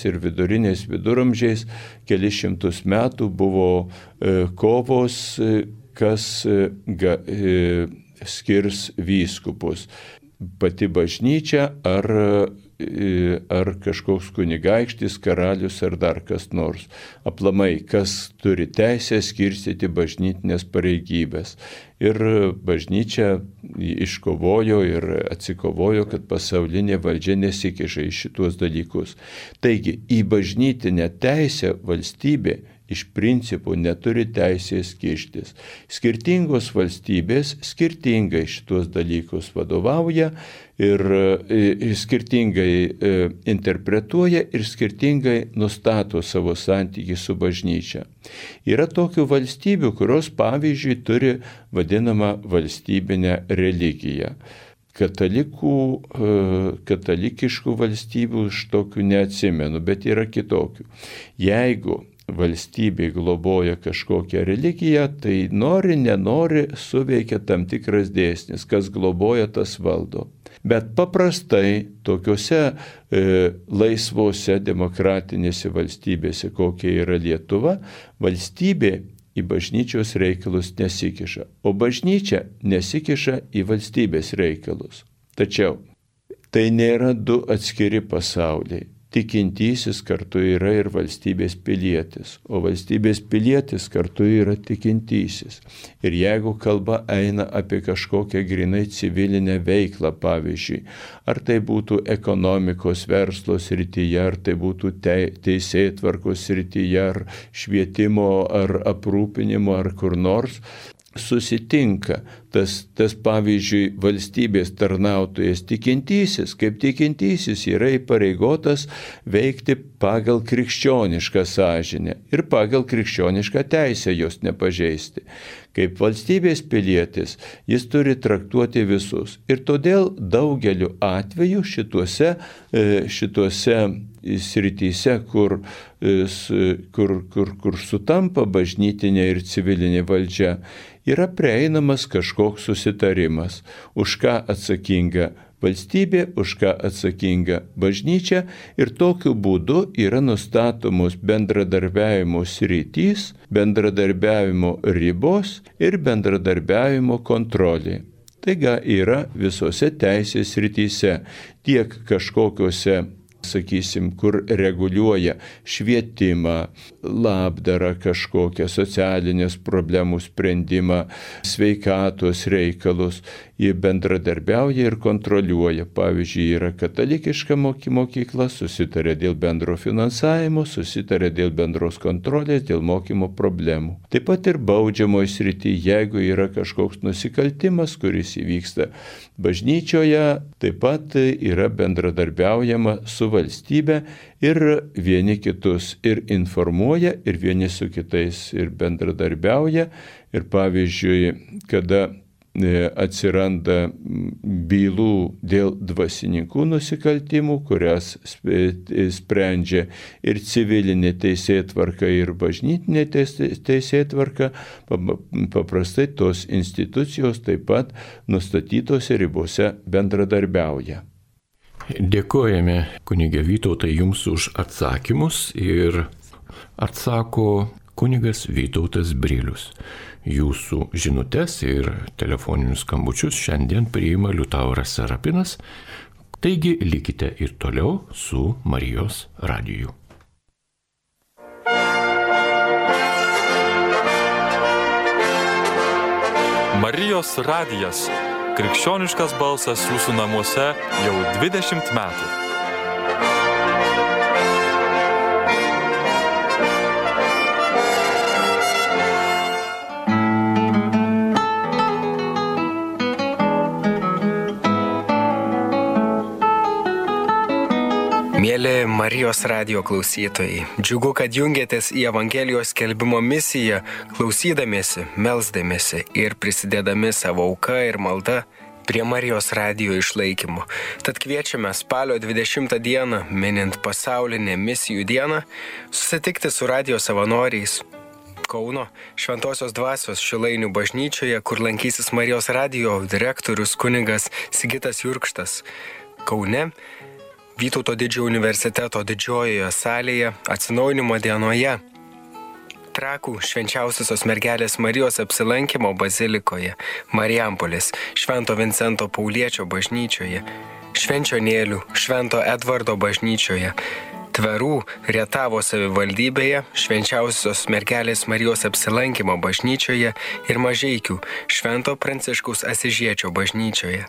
ir viduriniais viduramžiais, kelis šimtus metų buvo kovos, kas skirs vyskupus. Pati bažnyčia ar kažkoks kunigaikštis, karalius ar dar kas nors. Aplamai, kas turi teisę skirstyti bažnytinės pareigybės. Ir bažnyčia iškovojo ir atsikovojo, kad pasaulinė valdžia nesikiša į šituos dalykus. Taigi, į bažnytinę teisę valstybė iš principo neturi teisės kištis. Skirtingos valstybės skirtingai šitos dalykus vadovauja ir skirtingai interpretuoja ir skirtingai nustato savo santykį su bažnyčia. Yra tokių valstybių, kurios pavyzdžiui turi vadinamą valstybinę religiją. Katalikiškų valstybių iš tokių neatsimenu, bet yra kitokių. Jeigu valstybė globoja kažkokią religiją, tai nenori suveikia tam tikras dėsnis, kas globoja, tas valdo. Bet paprastai tokiuose laisvose demokratinėse valstybėse, kokia yra Lietuva, valstybė į bažnyčios reikalus nesikiša, o bažnyčia nesikiša į valstybės reikalus. Tačiau tai nėra du atskiri pasauliai. Tikintysis kartu yra ir valstybės pilietis, o valstybės pilietis kartu yra tikintysis. Ir jeigu kalba eina apie kažkokią grinai civilinę veiklą, pavyzdžiui, ar tai būtų ekonomikos verslo srityje, ar tai būtų teisėtvarkos srityje, ar švietimo, ar aprūpinimo, ar kur nors, susitinka tas pavyzdžiui valstybės tarnautojas tikintysis, kaip tikintysis yra įpareigotas veikti pagal krikščionišką sąžinę ir pagal krikščionišką teisę jos nepažeisti. Kaip valstybės pilietis jis turi traktuoti visus. Ir todėl daugeliu atveju šituose srityse, kur sutampa bažnytinė ir civilinė valdžia, yra prieinamas kažkoks susitarimas, už ką atsakinga valstybė, už ką atsakinga bažnyčia, ir tokiu būdu yra nustatomos bendradarbiavimo sritys, bendradarbiavimo ribos ir bendradarbiavimo kontrolė. Taigi yra visose teisės srityse, tiek kažkokiuose sakysim, kur reguliuoja švietimą, labdarą kažkokią, socialinės problemų sprendimą, sveikatos reikalus. Jie bendradarbiauja ir kontroliuoja. Pavyzdžiui, yra katalikiška mokykla, susitarė dėl bendro finansavimo, susitarė dėl bendros kontrolės, dėl mokymo problemų. Taip pat ir baudžiamoje srityje, jeigu yra kažkoks nusikaltimas, kuris įvyksta bažnyčioje, taip pat yra bendradarbiaujama su valstybe ir vieni kitus ir informuoja, ir vieni su kitais ir bendradarbiauja. Ir pavyzdžiui, kada atsiranda bylų dėl dvasininkų nusikaltimų, kurias sprendžia ir civilinė teisėtvarka, ir bažnytinė teisėtvarka, paprastai tos institucijos taip pat nustatytose ribose bendradarbiauja. Dėkojame, kunige Vytautai, jums už atsakymus ir atsako kunigas Vytautas Brilius. Jūsų žinutes ir telefoninius skambučius šiandien priima Liutauras Serapinas, taigi likite ir toliau su Marijos radiju. Marijos radijas – krikščioniškas balsas jūsų namuose jau 20 metų. Mėly Marijos radijo klausytojai, džiugu, kad jungiatės į Evangelijos skelbimo misiją, klausydamiesi, melsdamiesi ir prisidėdami savo auką ir maldą prie Marijos radijo išlaikymo. Tad kviečiame spalio 20 dieną, minint pasaulinę misijų dieną, susitikti su radijo savanoriais Kauno Šventosios dvasios Šilainių bažnyčioje, kur lankysis Marijos radijo direktorius kunigas Sigitas Jurkštas. Kaune Vytauto didžiojo universiteto didžiojoje salėje atsinaujinimo dienoje. Trakų Švenčiausiosios mergelės Marijos apsilankymo bazilikoje, Marijampolės Švento Vincento Pauliečio bažnyčioje, Švenčionėlių Švento Edvardo bažnyčioje, Tverų Rietavo savivaldybėje, Švenčiausiosios mergelės Marijos apsilankymo bažnyčioje ir Mažeikių Švento Pranciškaus Asižiečio bažnyčioje.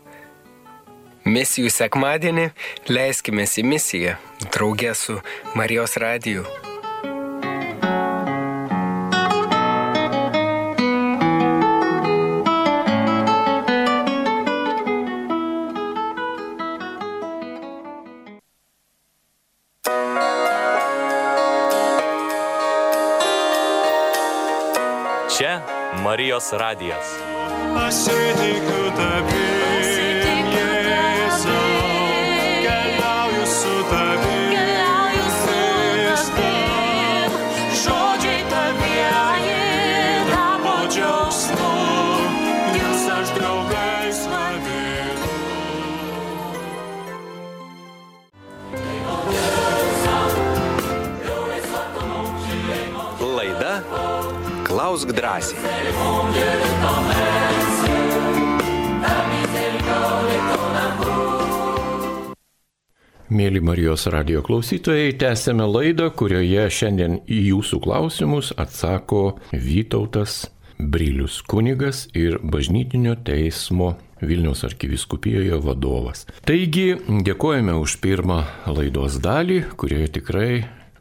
Misijų sekmadienį leiskimės į misiją drauge su Marijos radiju. Čia Marijos radijas. Pasitikiu tavimi. Laida Klausk drąsiai. Mėly Marijos radijo klausytojai, tęsėme laidą, kurioje šiandien į jūsų klausimus atsako Vytautas Brilius, kunigas ir bažnytinio teismo Vilniaus arkivyskupijoje vadovas. Taigi, dėkojame už pirmą laidos dalį, kurioje tikrai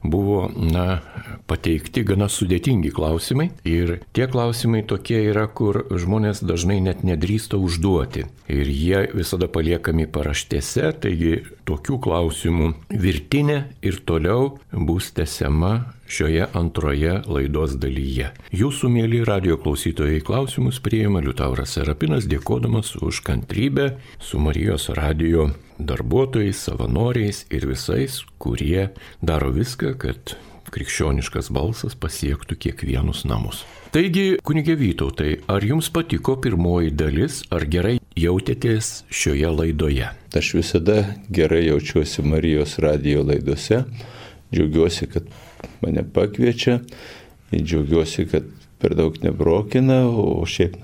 buvo, pateikti gana sudėtingi klausimai. Ir tie klausimai tokie yra, kur žmonės dažnai net nedrįsta užduoti. Ir jie visada paliekami paraštėse, taigi tokių klausimų virtinė ir toliau bus tęsiama šioje antroje laidos dalyje. Jūsų, mėly radijo klausytojai, klausimus priima Liutauras Serapinas, dėkodamas už kantrybę su Marijos radijo darbuotojais, savanoriais ir visais, kurie daro viską, kad krikščioniškas balsas pasiektų kiekvienus namus. Taigi, kunige Vytautai, ar jums patiko pirmoji dalis, ar gerai jautėtės šioje laidoje? Aš visada gerai jaučiuosi Marijos radijo laidose, džiaugiuosi, kad mane pakviečia, džiaugiuosi, kad per daug nebrokina, o šiaip,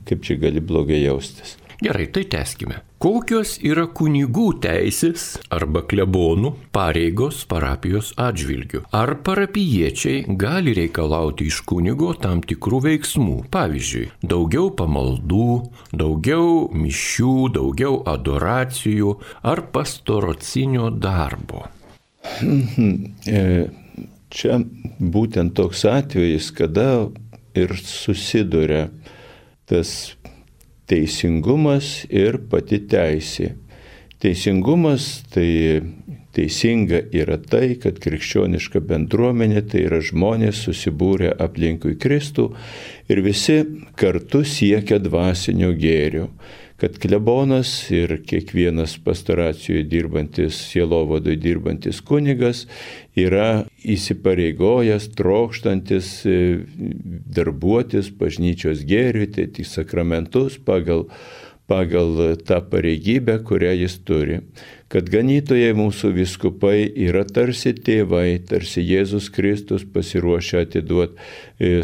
kaip čia gali blogai jaustis. Gerai, tai tęskime. Kokios yra kunigų teisės arba klebonų pareigos parapijos atžvilgiu? Ar parapijiečiai gali reikalauti iš kunigo tam tikrų veiksmų? Pavyzdžiui, daugiau pamaldų, daugiau mišių, daugiau adoracijų ar pastoracinio darbo? Čia būtent toks atvejis, kada ir susiduria tas teisingumas ir pati teisė. Teisingumas tai teisinga yra tai, kad krikščioniška bendruomenė tai yra žmonės susibūrę aplinkui Kristų ir visi kartu siekia dvasinio gėrio. Kad klebonas ir kiekvienas pastoracijoje dirbantis, sielovadoje dirbantis kunigas yra įsipareigojęs, trokštantis darbuotis bažnyčios gėriui, tai tik sakramentus pagal tą pareigybę, kurią jis turi. Kad ganytojai mūsų vyskupai yra tarsi tėvai, tarsi Jėzus Kristus pasiruošę atiduoti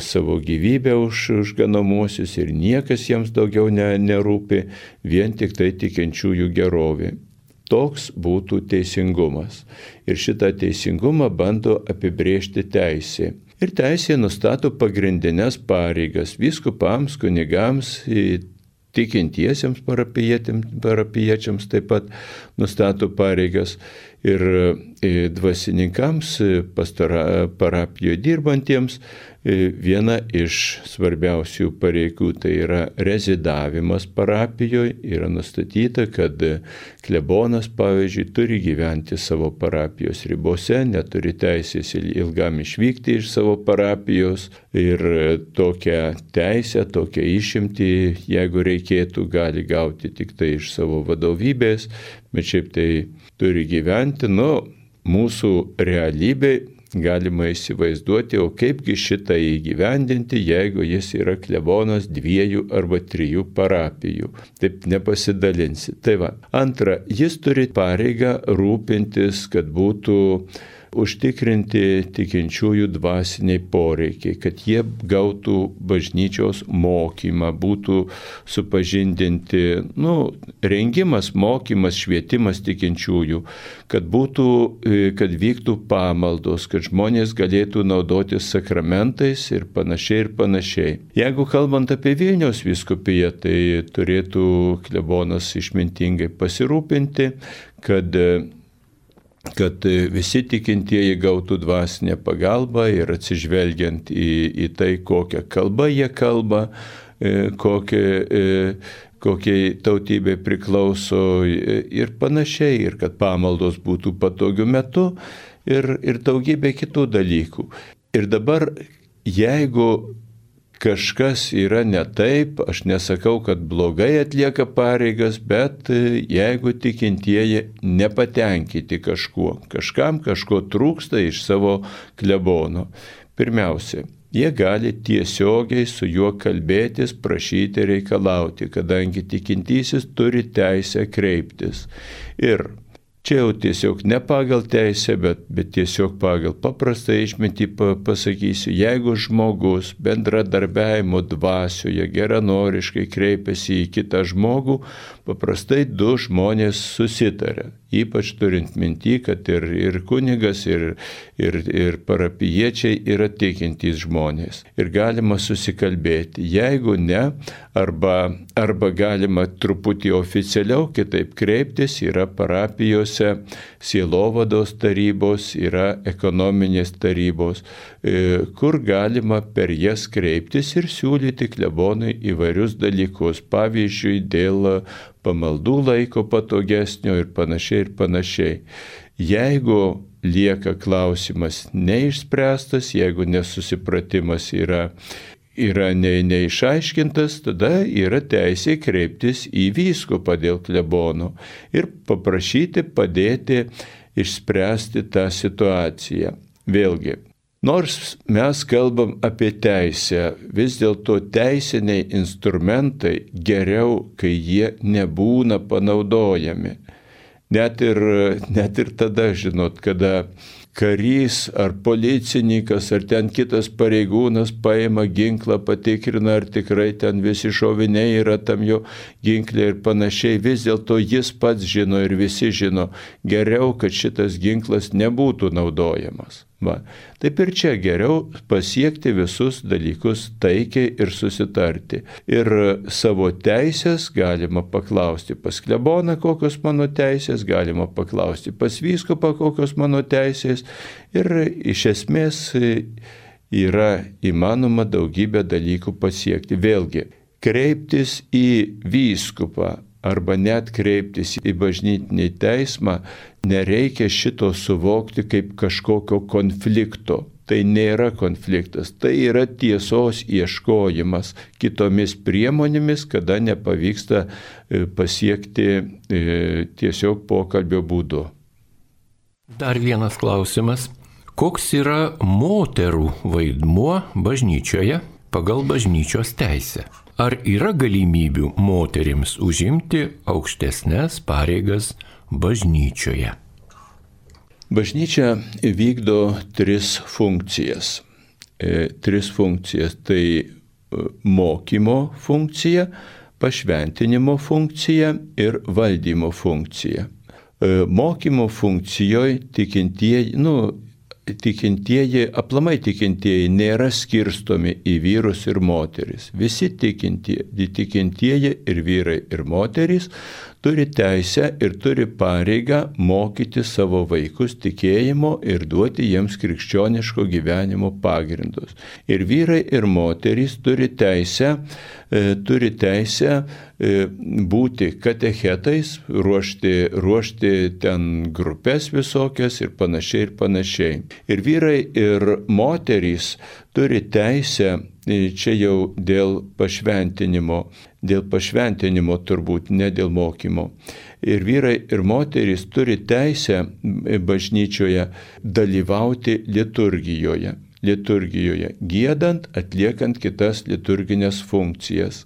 savo gyvybę už ganomuosius ir niekas jiems daugiau nerūpi, vien tik tai tikinčiųjų gerovė. Toks būtų teisingumas. Ir šitą teisingumą bando apibrėžti teisė. Ir teisė nustato pagrindinės pareigas vyskupams, kunigams, tikintiesiems parapijiečiams taip pat nustato pareigas ir dvasininkams, parapijoje dirbantiems viena iš svarbiausių pareigų tai yra rezidavimas parapijoje. Yra nustatyta, kad klebonas, pavyzdžiui, turi gyventi savo parapijos ribose, neturi teisės ilgam išvykti iš savo parapijos ir tokią teisę, tokią išimtį, jeigu reikėtų, gali gauti tik tai iš savo vadovybės, bet šiaip tai turi gyventi. Mūsų realybė galima įsivaizduoti, o kaipgi šitą įgyvendinti, jeigu jis yra klebonas 2 arba 3 parapijų. Taip nepasidalinsi. Tai va. Antra, jis turi pareigą rūpintis, kad būtų užtikrinti tikinčiųjų dvasiniai poreikiai, kad jie gautų bažnyčios mokymą, būtų supažindinti, rengimas, mokymas, švietimas tikinčiųjų, kad vyktų pamaldos, kad žmonės galėtų naudotis sakramentais ir panašiai. Jeigu kalbant apie Vilniaus vyskupiją, tai turėtų klebonas išmintingai pasirūpinti, kad visi tikintieji gautų dvasinę pagalbą ir atsižvelgiant į tai, kokią kalbą jie kalba, kokiai tautybė priklauso ir panašiai, ir kad pamaldos būtų patogiu metu ir daugybė kitų dalykų. Ir dabar, jeigu kažkas yra ne taip, aš nesakau, kad blogai atlieka pareigas, bet jeigu tikintieji nepatenkinti kažkam kažko trūksta iš savo klebono. Pirmiausia, jie gali tiesiogiai su juo kalbėtis, prašyti, reikalauti, kadangi tikintysis turi teisę kreiptis. Ir čia jau tiesiog ne pagal teisę, bet tiesiog pagal paprastą išmintį pasakysiu, jeigu žmogus bendradarbiavimo dvasioje geranoriškai kreipiasi į kitą žmogų, paprastai 2 žmonės susitarė. Ypač turint minty, kad ir kunigas, ir parapijiečiai yra tikintys žmonės. Ir galima susikalbėti. Jeigu ne, arba galima truputį oficialiau kitaip kreiptis, yra parapijose sielovados tarybos, yra ekonominės tarybos, kur galima per jas kreiptis ir siūlyti klebonui įvairius dalykus. Pavyzdžiui, dėl pamaldų laiko patogesnio ir panašiai. Jeigu lieka klausimas neišspręstas, jeigu nesusipratimas yra neišaiškintas, tada yra teisė kreiptis į vyskupą dėl klebono ir paprašyti padėti išspręsti tą situaciją. Vėlgi, nors mes kalbam apie teisę, vis dėlto teisiniai instrumentai geriau, kai jie nebūna panaudojami. Net ir tada, žinot, karys ar policininkas ar ten kitas pareigūnas paima ginklą, patikrina, ar tikrai ten visi šoviniai yra tam jo ginklė ir panašiai, vis dėlto jis pats žino ir visi žino, geriau, kad šitas ginklas nebūtų naudojamas. Va. Taip ir čia geriau pasiekti visus dalykus taikiai ir susitarti. Ir savo teisės galima paklausti pas kleboną, kokios mano teisės, galima paklausti pas vyskupą, kokios mano teisės. Ir iš esmės yra įmanoma daugybę dalykų pasiekti. Vėlgi, kreiptis į vyskupą arba net kreiptis į bažnytinį teismą, nereikia šito suvokti kaip kažkokio konflikto. Tai nėra konfliktas, tai yra tiesos ieškojimas kitomis priemonėmis, kada nepavyksta pasiekti tiesiog pokalbio būdu. Dar vienas klausimas. Koks yra moterų vaidmuo bažnyčioje pagal bažnyčios teisę? Ar yra galimybių moterims užimti aukštesnės pareigas bažnyčioje? Bažnyčia vykdo tris funkcijas. Tai mokymo funkcija, pašventinimo funkcija ir valdymo funkcija. Mokymo funkcijoje aplamai tikintieji nėra skirstomi į vyrus ir moteris. Visi tikintieji ir vyrai ir moterys turi teisę ir turi pareigą mokyti savo vaikus tikėjimo ir duoti jiems krikščioniško gyvenimo pagrindus. Ir vyrai ir moterys turi teisę būti katechetais, ruošti ten grupės visokias ir panašiai. Ir vyrai ir moterys turi teisę, čia jau dėl pašventinimo turbūt, ne dėl mokymo. Ir vyrai ir moterys turi teisę bažnyčioje dalyvauti liturgijoje, giedant, atliekant kitas liturginės funkcijas.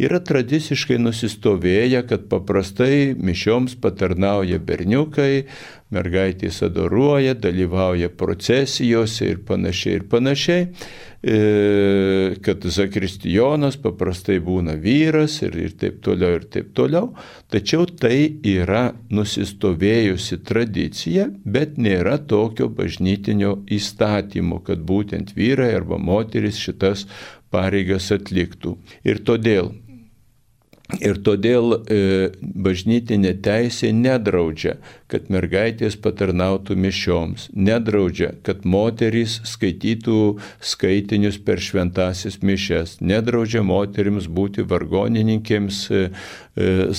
Yra tradiciškai nusistovėję, kad paprastai mišioms patarnauja berniukai, mergaitės adoruoja, dalyvauja procesijose ir panašiai, kad zakristijonas paprastai būna vyras ir taip toliau. Tačiau tai yra nusistovėjusi tradicija, bet nėra tokio bažnytinio įstatymo, kad būtent vyrai arba moteris šitas pareigas atliktų. Ir todėl bažnytinė teisė nedraudžia, kad mergaitės patarnautų mišioms, nedraudžia, kad moterys skaitytų skaitinius per šventąsias mišias, nedraudžia moterims būti vargonininkėms,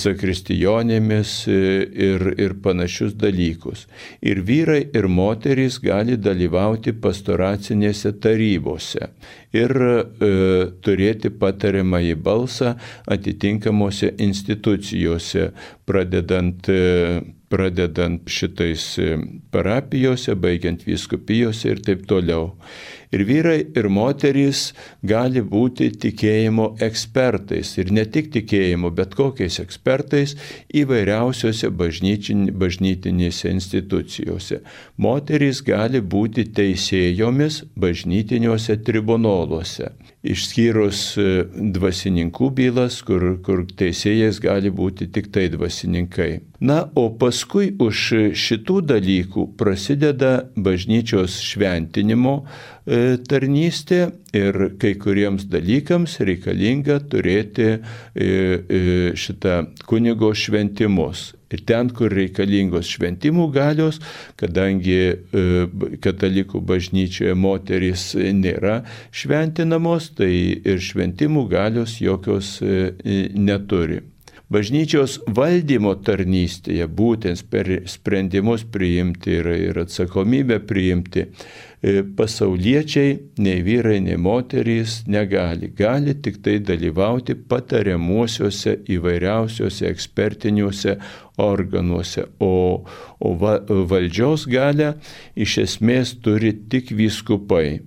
zakristijonėmis ir panašius dalykus. Ir vyrai ir moterys gali dalyvauti pastoracinėse tarybose ir turėti patariamąjį balsą atitinkamose institucijose, pradedant šitais parapijose, baigiant vyskupijose ir taip toliau. Ir vyrai ir moterys gali būti tikėjimo ekspertais. Ir ne tik tikėjimo, bet kokiais ekspertais įvairiausiose bažnytinėse institucijose. Moterys gali būti teisėjomis bažnytiniuose tribunoluose. Išskyrus dvasininkų bylas, kur teisėjais gali būti tik tai dvasininkai. Na, o paskui už šitų dalykų prasideda bažnyčios šventinimo tarnystė ir kai kuriems dalykams reikalinga turėti šitą kunigo šventimus. Ir ten, kur reikalingos šventimų galios, kadangi katalikų bažnyčioje moterys nėra šventinamos, tai ir šventimų galios jokios neturi. Bažnyčios valdymo tarnystėje, būtent per sprendimus priimti ir atsakomybę priimti, pasauliečiai, nei vyrai, nei moterys negali. Gali tik tai dalyvauti patariamuosiuose įvairiausiuose ekspertiniuose organuose, o valdžios galią iš esmės turi tik vyskupai.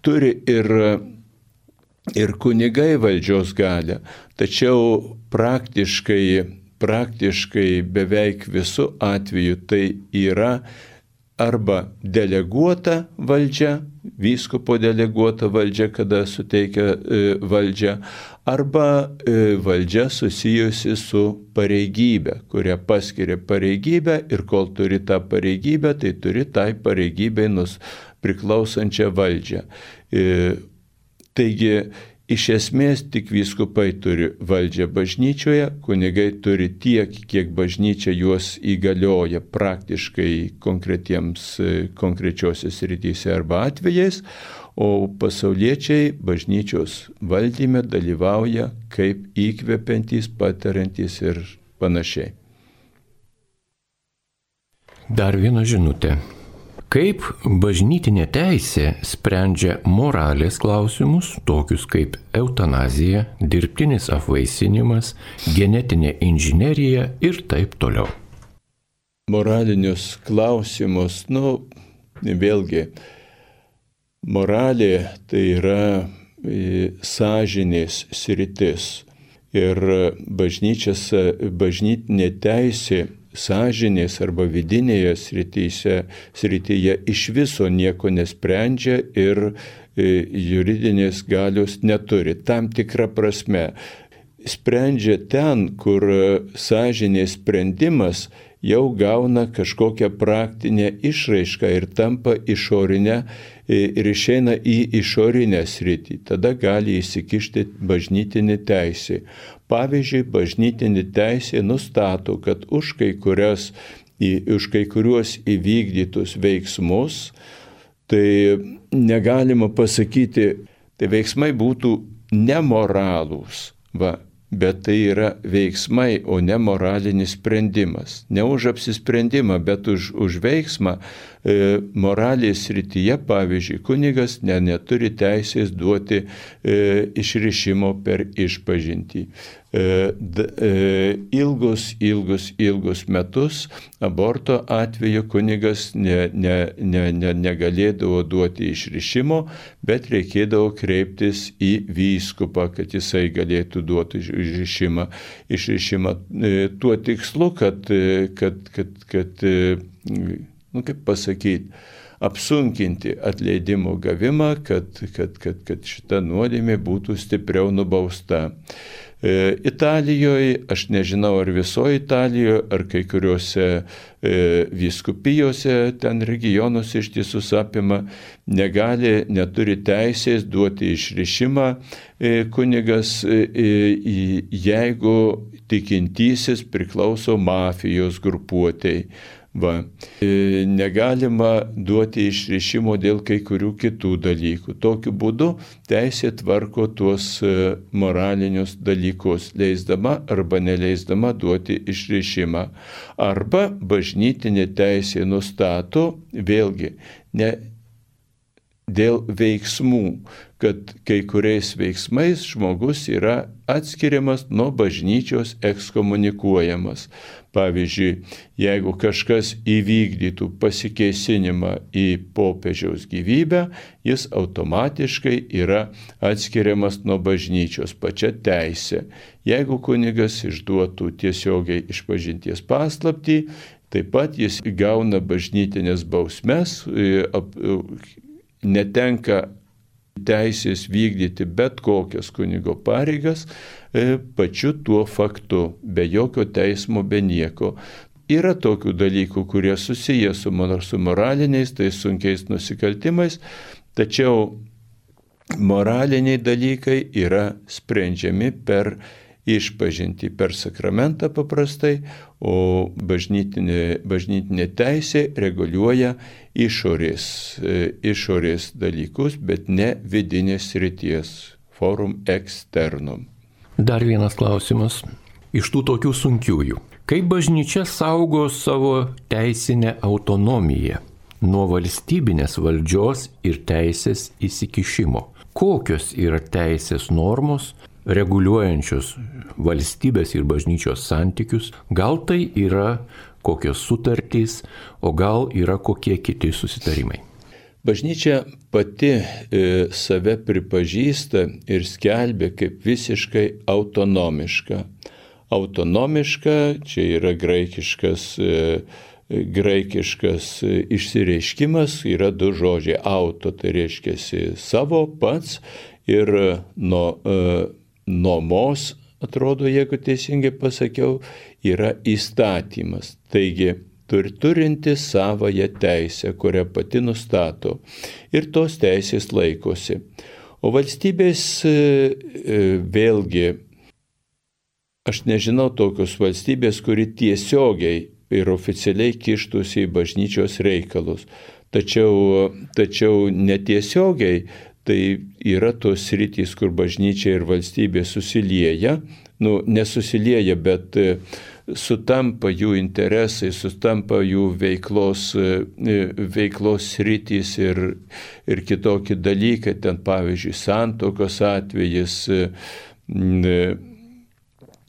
Turi ir kunigai valdžios galią, tačiau praktiškai beveik visų atveju tai yra arba deleguota valdžia, vyskupo deleguota valdžia, kada suteikia valdžią, arba valdžia susijusi su pareigybė, kurią paskiria pareigybę ir kol turi tą pareigybę, tai turi tai pareigybei priklausančią valdžią. Taigi, iš esmės tik vyskupai turi valdžią bažnyčioje, kunigai turi tiek, kiek bažnyčia juos įgalioja praktiškai konkrečiose srityse arba atvejais, o pasauliečiai bažnyčios valdyme dalyvauja kaip įkvepiantys, patariantys ir panašiai. Dar viena žinutė. Kaip bažnytinė teisė sprendžia moralės klausimus, tokius kaip eutanazija, dirbtinis apvaisinimas, genetinė inžinerija ir taip toliau? Moralinius klausimus, vėlgi, moralė tai yra sąžinės sritis ir bažnytinė teisė sąžinės arba vidinėje srityje iš viso nieko nesprendžia ir juridinės galios neturi. Tam tikra prasme sprendžia ten, kur sąžinės sprendimas jau gauna kažkokią praktinę išraišką ir tampa išorinę ir išeina į išorinę sritį. Tada gali įsikišti bažnytinė teisė. Pavyzdžiui, bažnytinė teisė nustato, kad už kai kuriuos įvykdytus veiksmus, tai negalima pasakyti, tai veiksmai būtų nemoralūs, bet tai yra veiksmai, o ne moralinis sprendimas. Ne už apsisprendimą, bet už veiksmą moralės srityje, pavyzdžiui, kunigas neturi teisės duoti išrišimo per išpažintį. Ilgus metus aborto atveju kunigas negalėdavo duoti išrišimo, bet reikėdavo kreiptis į vyskupą, kad jisai galėtų duoti išrišimą. Tuo tikslu, kad kaip pasakyti, apsunkinti atleidimo gavimą, kad šita nuodėmė būtų stipriau nubausta. Italijoje, aš nežinau ar visoje Italijoje, ar kai kuriuose vyskupijose, ten regionuose ištisus apima, neturi teisės duoti išrišimą kunigas, jeigu tikintysis priklauso mafijos grupuotei. Negalima duoti išrišimo dėl kai kurių kitų dalykų. Tokiu būdu teisė tvarko tuos moralinius dalykus, leisdama arba neleisdama duoti išrišimą. Arba bažnytinė teisė nustato, vėlgi, ne dėl veiksmų, kad kai kuriais veiksmais žmogus yra atskiriamas nuo bažnyčios, ekskomunikuojamas. Pavyzdžiui, jeigu kažkas įvykdytų pasikėsinimą į popiežiaus gyvybę, jis automatiškai yra atskiriamas nuo bažnyčios pačia teisė. Jeigu kunigas išduotų tiesiogiai išpažinties paslaptį, taip pat jis gauna bažnytinės bausmes, netenka teisės vykdyti bet kokias kunigo pareigas pačiu tuo faktu, be jokio teismo, be nieko. Yra tokių dalykų, kurie susiję su moraliniais, tai sunkiais nusikaltimais, tačiau moraliniai dalykai yra sprendžiami per išpažintį, per sakramentą paprastai, o bažnytinė teisė reguliuoja išorės dalykus, bet ne vidinės srities, forum externum. Dar vienas klausimas. Iš tų tokių sunkiųjų. Kaip bažnyčia saugo savo teisinę autonomiją nuo valstybinės valdžios ir teisės įsikišimo? Kokios yra teisės normos reguliuojančios valstybės ir bažnyčios santykius? Gal tai yra kokios sutartys, o gal yra kokie kiti susitarimai? Bažnyčia pati save pripažįsta ir skelbia kaip visiškai autonomiška. Autonomiška, čia yra graikiškas graikiškas išsireiškimas, yra du žodžiai. Auto, tai reiškia savo pats, ir nomos, atrodo, jeigu teisingai pasakiau, yra įstatymas. Taigi, turinti savąją teisę, kurią pati nustato, ir tos teisės laikosi. O valstybės vėlgi, aš nežinau tokios valstybės, kuri tiesiogiai ir oficialiai kištųsi į bažnyčios reikalus. Tačiau netiesiogiai tai yra tos sritys, kur bažnyčia ir valstybė susilieja, nesusilieja, bet sutampa jų interesai, sutampa jų veiklos sritys ir kitokie dalykai, ten pavyzdžiui santuokos atvejis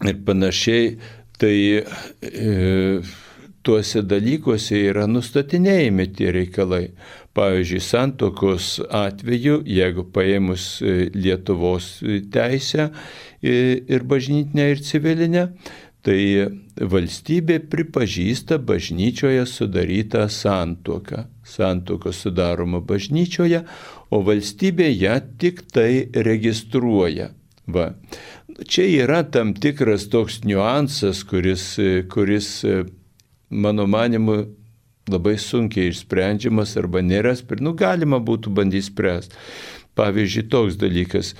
ir panašiai, tai tuose dalykuose yra nustatinėjami tie reikalai. Pavyzdžiui, santuokos atveju, jeigu paėmus Lietuvos teisę ir bažnytinę ir civilinę, tai valstybė pripažįsta bažnyčioje sudarytą santuoką. Santuoka sudaroma bažnyčioje, o valstybė ją tik tai registruoja. Va. Čia yra tam tikras toks niuansas, kuris mano manimu, labai sunkiai išsprendžiamas arba nėra, galima būtų bandyti spręsti. Pavyzdžiui, toks dalykas.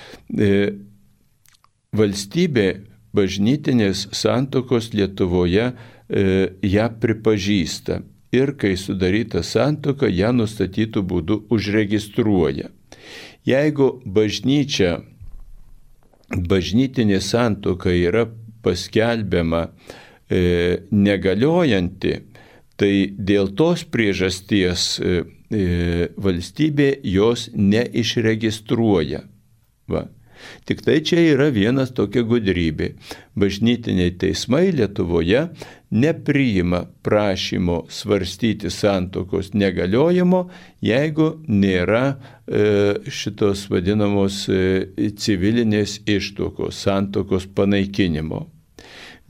Valstybė bažnytinės santuokos Lietuvoje ją pripažįsta ir kai sudaryta santuoka, ją nustatytų būdu užregistruoja. Jeigu bažnytinė santuoka yra paskelbiama negaliojanti, tai dėl tos priežasties valstybė jos neišregistruoja. Va. Tik tai čia yra vienas tokia gudrybė. Bažnytiniai teismai Lietuvoje nepriima prašymo svarstyti santuokos negaliojimo, jeigu nėra šitos vadinamos civilinės ištuokos, santuokos panaikinimo.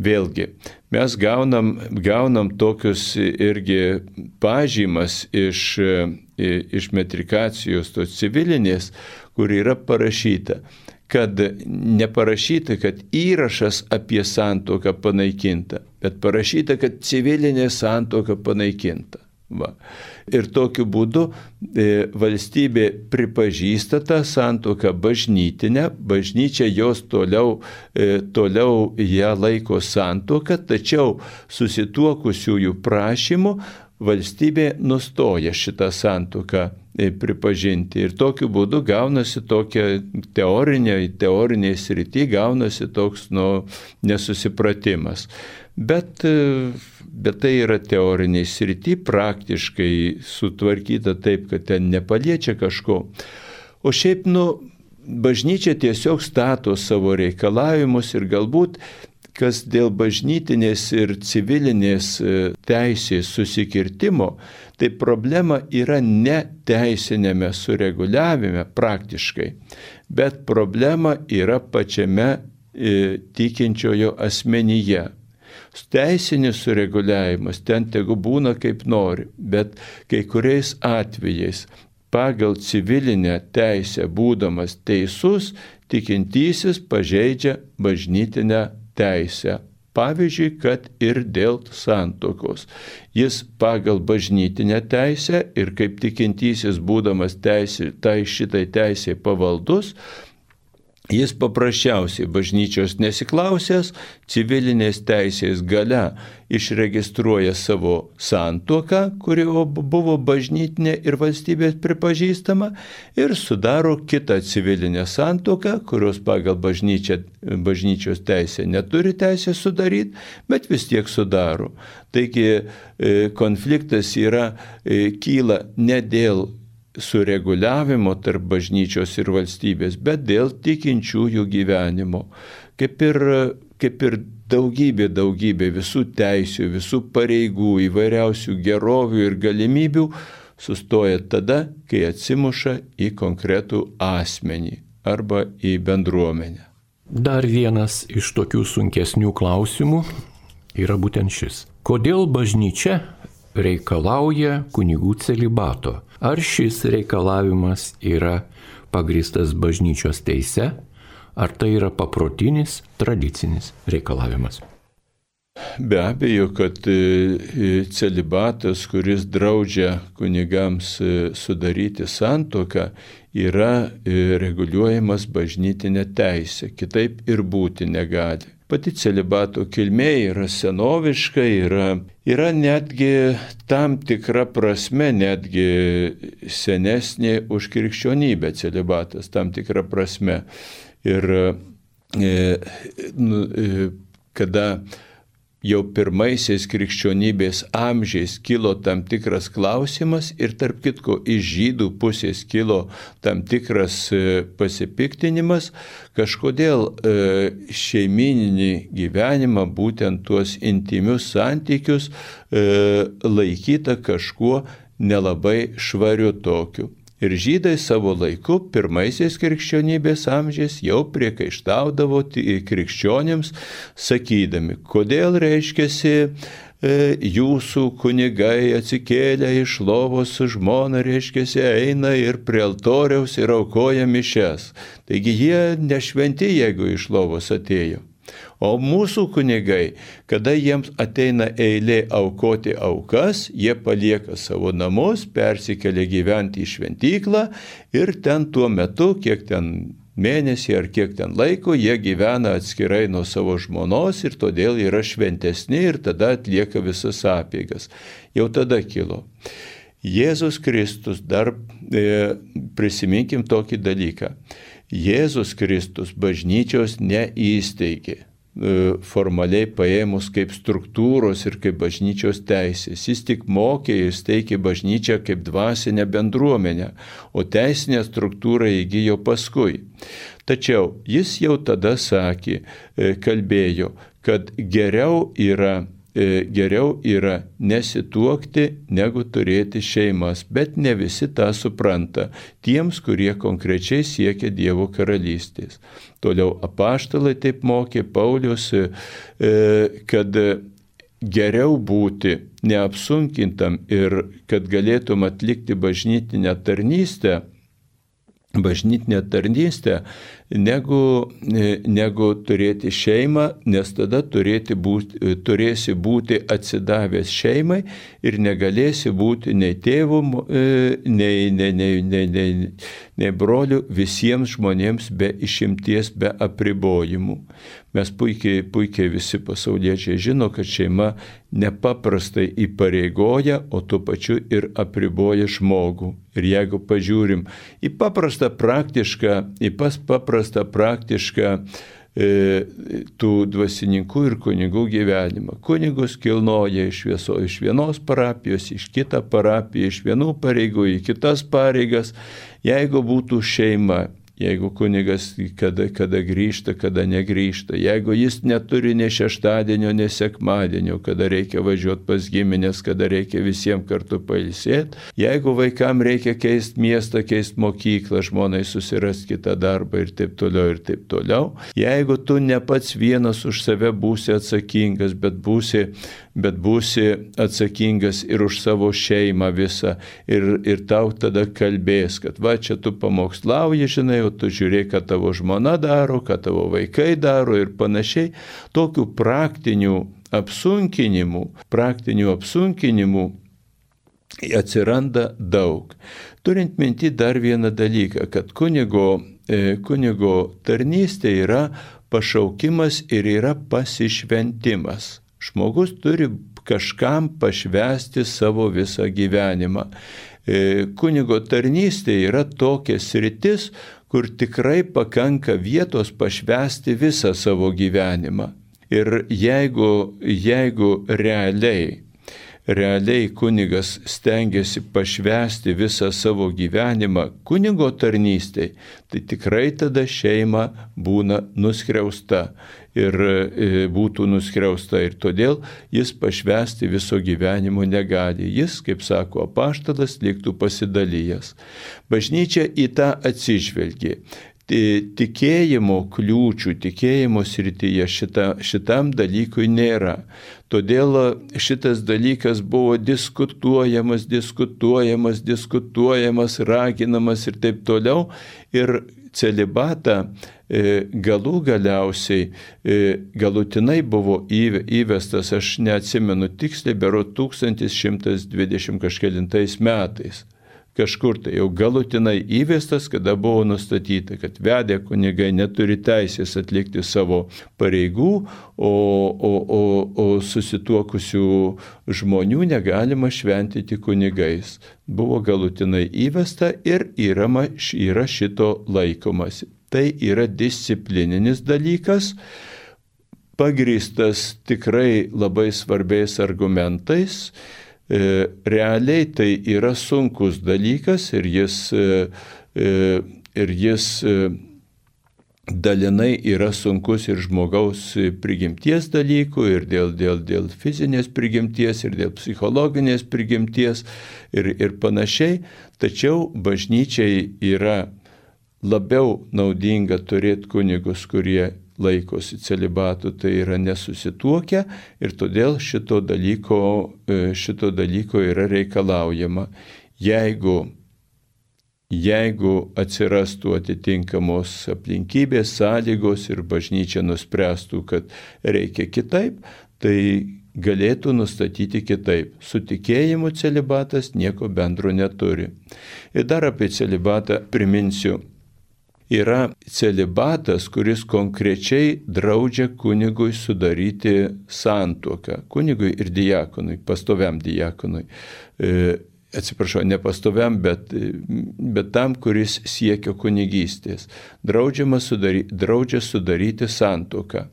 Vėlgi, mes gaunam tokius irgi pažymas iš metrikacijos tos civilinės, kur yra parašyta, kad neparašyta, kad įrašas apie santuoką panaikinta, bet parašyta, kad civilinė santuoka panaikinta. Va. Ir tokiu būdu valstybė pripažįsta tą santuoką bažnytinę, bažnyčia jos toliau ją laiko santuoką, tačiau susituokusiųjų prašymų valstybė nustoja šitą santuoką pripažinti. Ir tokiu būdu gaunasi tokia teorinė srity, gaunasi toks nesusipratimas. Bet tai yra teoriniai srity, praktiškai sutvarkyta taip, kad ten nepaliečia kažko. O šiaip, bažnyčia tiesiog stato savo reikalavimus ir galbūt, kas dėl bažnytinės ir civilinės teisės susikirtimo, tai problema yra ne teisinėme sureguliavime praktiškai, bet problema yra pačiame tikinčiojo asmenyje. Teisinis sureguliavimas ten tegu būna kaip nori, bet kai kuriais atvejais pagal civilinę teisę būdamas teisus, tikintysis pažeidžia bažnytinę teisę. Pavyzdžiui, kad ir dėl santuokos. Jis pagal bažnytinę teisę ir kaip tikintysis būdamas šitai teisė pavaldus, jis paprasčiausiai bažnyčios nesiklausęs, civilinės teisės gale išregistruoja savo santuoką, kuri buvo bažnytinė ir valstybės pripažįstama, ir sudaro kitą civilinę santuoką, kurios pagal bažnyčios teisę neturi teisę sudaryti, bet vis tiek sudaro. Taigi konfliktas kyla ne dėl sureguliavimo tarp bažnyčios ir valstybės, bet dėl tikinčiųjų gyvenimo. Kaip ir daugybė visų teisių, visų pareigų, įvairiausių gerovių ir galimybių sustoja tada, kai atsimuša į konkretų asmenį arba į bendruomenę. Dar vienas iš tokių sunkesnių klausimų yra būtent šis. Kodėl bažnyčia reikalauja kunigų celibato. Ar šis reikalavimas yra pagrįstas bažnyčios teise, ar tai yra paprotinis, tradicinis reikalavimas? Be abejo, kad celibatas, kuris draudžia kunigams sudaryti santuoką, yra reguliuojamas bažnytinė teisė, kitaip ir būti negali. Pati celibato kilmė yra senoviška, yra netgi tam tikra prasme, netgi senesnė už krikščionybę celibatas, tam tikra prasme. Ir kada jau pirmaisiais krikščionybės amžiais kilo tam tikras klausimas ir tarp kitko iš žydų pusės kilo tam tikras pasipiktinimas, kažkodėl šeimininį gyvenimą, būtent tuos intymius santykius laikyta kažkuo nelabai švariu tokiu. Ir žydai savo laiku, pirmaisiais krikščionybės amžiais, jau priekaištaudavo krikščionims, sakydami, kodėl reiškiasi jūsų kunigai atsikėlę iš lovos su žmona, reiškiasi, eina ir prie altoriaus ir aukoja mišias. Taigi jie nešventi, jeigu iš lovos atėjo. O mūsų kunigai, kada jiems ateina eilė aukoti aukas, jie palieka savo namus, persikelia gyventi į šventyklą ir ten tuo metu, kiek ten mėnesį ar kiek ten laiko, jie gyvena atskirai nuo savo žmonos ir todėl yra šventesni ir tada atlieka visas apeigas. Jau tada kilo. Jėzus Kristus, dar prisiminkim tokį dalyką. Jėzus Kristus bažnyčios neįsteigė, formaliai paėmus kaip struktūros ir kaip bažnyčios teisės. Jis tik mokė ir steigė bažnyčią kaip dvasinę bendruomenę, o teisinę struktūrą įgijo paskui. Tačiau jis jau tada sakė, kalbėjo, kad geriau yra nesituokti, negu turėti šeimas, bet ne visi tą supranta, tiems, kurie konkrečiai siekia Dievo karalystės. Toliau apaštalai taip mokė, Paulius, kad geriau būti neapsunkintam ir kad galėtum atlikti bažnytinę tarnystę, negu turėti šeimą, nes tada turėsi būti atsidavęs šeimai ir negalėsi būti nei tėvų, nei brolių visiems žmonėms be išimties, be apribojimų. Mes puikiai visi pasauliečiai žino, kad šeima nepaprastai įpareigoja, o tuo pačiu ir apriboja žmogų. Ir jeigu pažiūrim į paprastą praktišką tų dvasininkų ir kunigų gyvenimą. Kunigus kilnoja iš vienos parapijos, iš kitą parapiją, iš vienų pareigų į kitas pareigas. Jeigu būtų šeima, jeigu kunigas kada grįžta, kada negrįžta, jeigu jis neturi nei šeštadienio, nei sekmadienio, kada reikia važiuoti pas giminės, kada reikia visiems kartu pailsėti, jeigu vaikam reikia keisti miestą, keisti mokyklą, žmonai susirasti kitą darbą ir taip toliau, jeigu tu ne pats vienas už save būsi atsakingas, bet būsi atsakingas ir už savo šeimą visą ir tau tada kalbės, kad va čia tu pamokslauji, žinai, tu žiūrėk, ką tavo žmona daro, ką tavo vaikai daro ir panašiai. Tokių praktinių apsunkinimų atsiranda daug. Turint minti dar vieną dalyką, kad kunigo tarnystė yra pašaukimas ir yra pasišventimas. Žmogus turi kažkam pašvęsti savo visą gyvenimą. Kunigo tarnystė yra tokia sritis, kur tikrai pakanka vietos pašvęsti visą savo gyvenimą. Ir jeigu realiai kunigas stengiasi pašvęsti visą savo gyvenimą kunigo tarnystei, tai tikrai tada šeima būna nuskriausta ir būtų nuskriausta ir todėl jis pašvęsti viso gyvenimo negali. Jis, kaip sako apaštalas, liktų pasidalijęs. Bažnyčia į tą atsižvelgė. tikėjimo kliūčių, tikėjimo srityje šitam dalykui nėra. Todėl šitas dalykas buvo diskutuojamas, raginamas ir taip toliau. Ir celibatą galutinai buvo įvestas, aš neatsimenu tiksliai, berods 1120 kažkelintais metais. Kažkur tai jau galutinai įvestas, kada buvo nustatyta, kad vedę kunigai neturi teisės atlikti savo pareigų, o susituokusių žmonių negalima šventyti kunigais. Buvo galutinai įvesta ir yra šito laikomasi. Tai yra disciplininis dalykas, pagrįstas tikrai labai svarbiais argumentais. Realiai tai yra sunkus dalykas ir jis dalinai yra sunkus ir žmogaus prigimties dalykų, ir dėl fizinės prigimties, ir dėl psichologinės prigimties ir panašiai. Tačiau bažnyčiai yra labiau naudinga turėti kunigus, kurie laikosi celibatų, tai yra nesusituokę, ir todėl šito dalyko yra reikalaujama. Jeigu atsirastų atitinkamos aplinkybės, sąlygos ir bažnyčia nuspręstų, kad reikia kitaip, tai galėtų nustatyti kitaip. Su tikėjimu celibatas nieko bendro neturi. Ir dar apie celibatą priminsiu. Yra celibatas, kuris konkrečiai draudžia kunigui sudaryti santuoką. Kunigui ir diakonui, pastoviam diakonui. Ne pastoviam, bet tam, kuris siekia kunigystės. Draudžia sudaryti santuoką.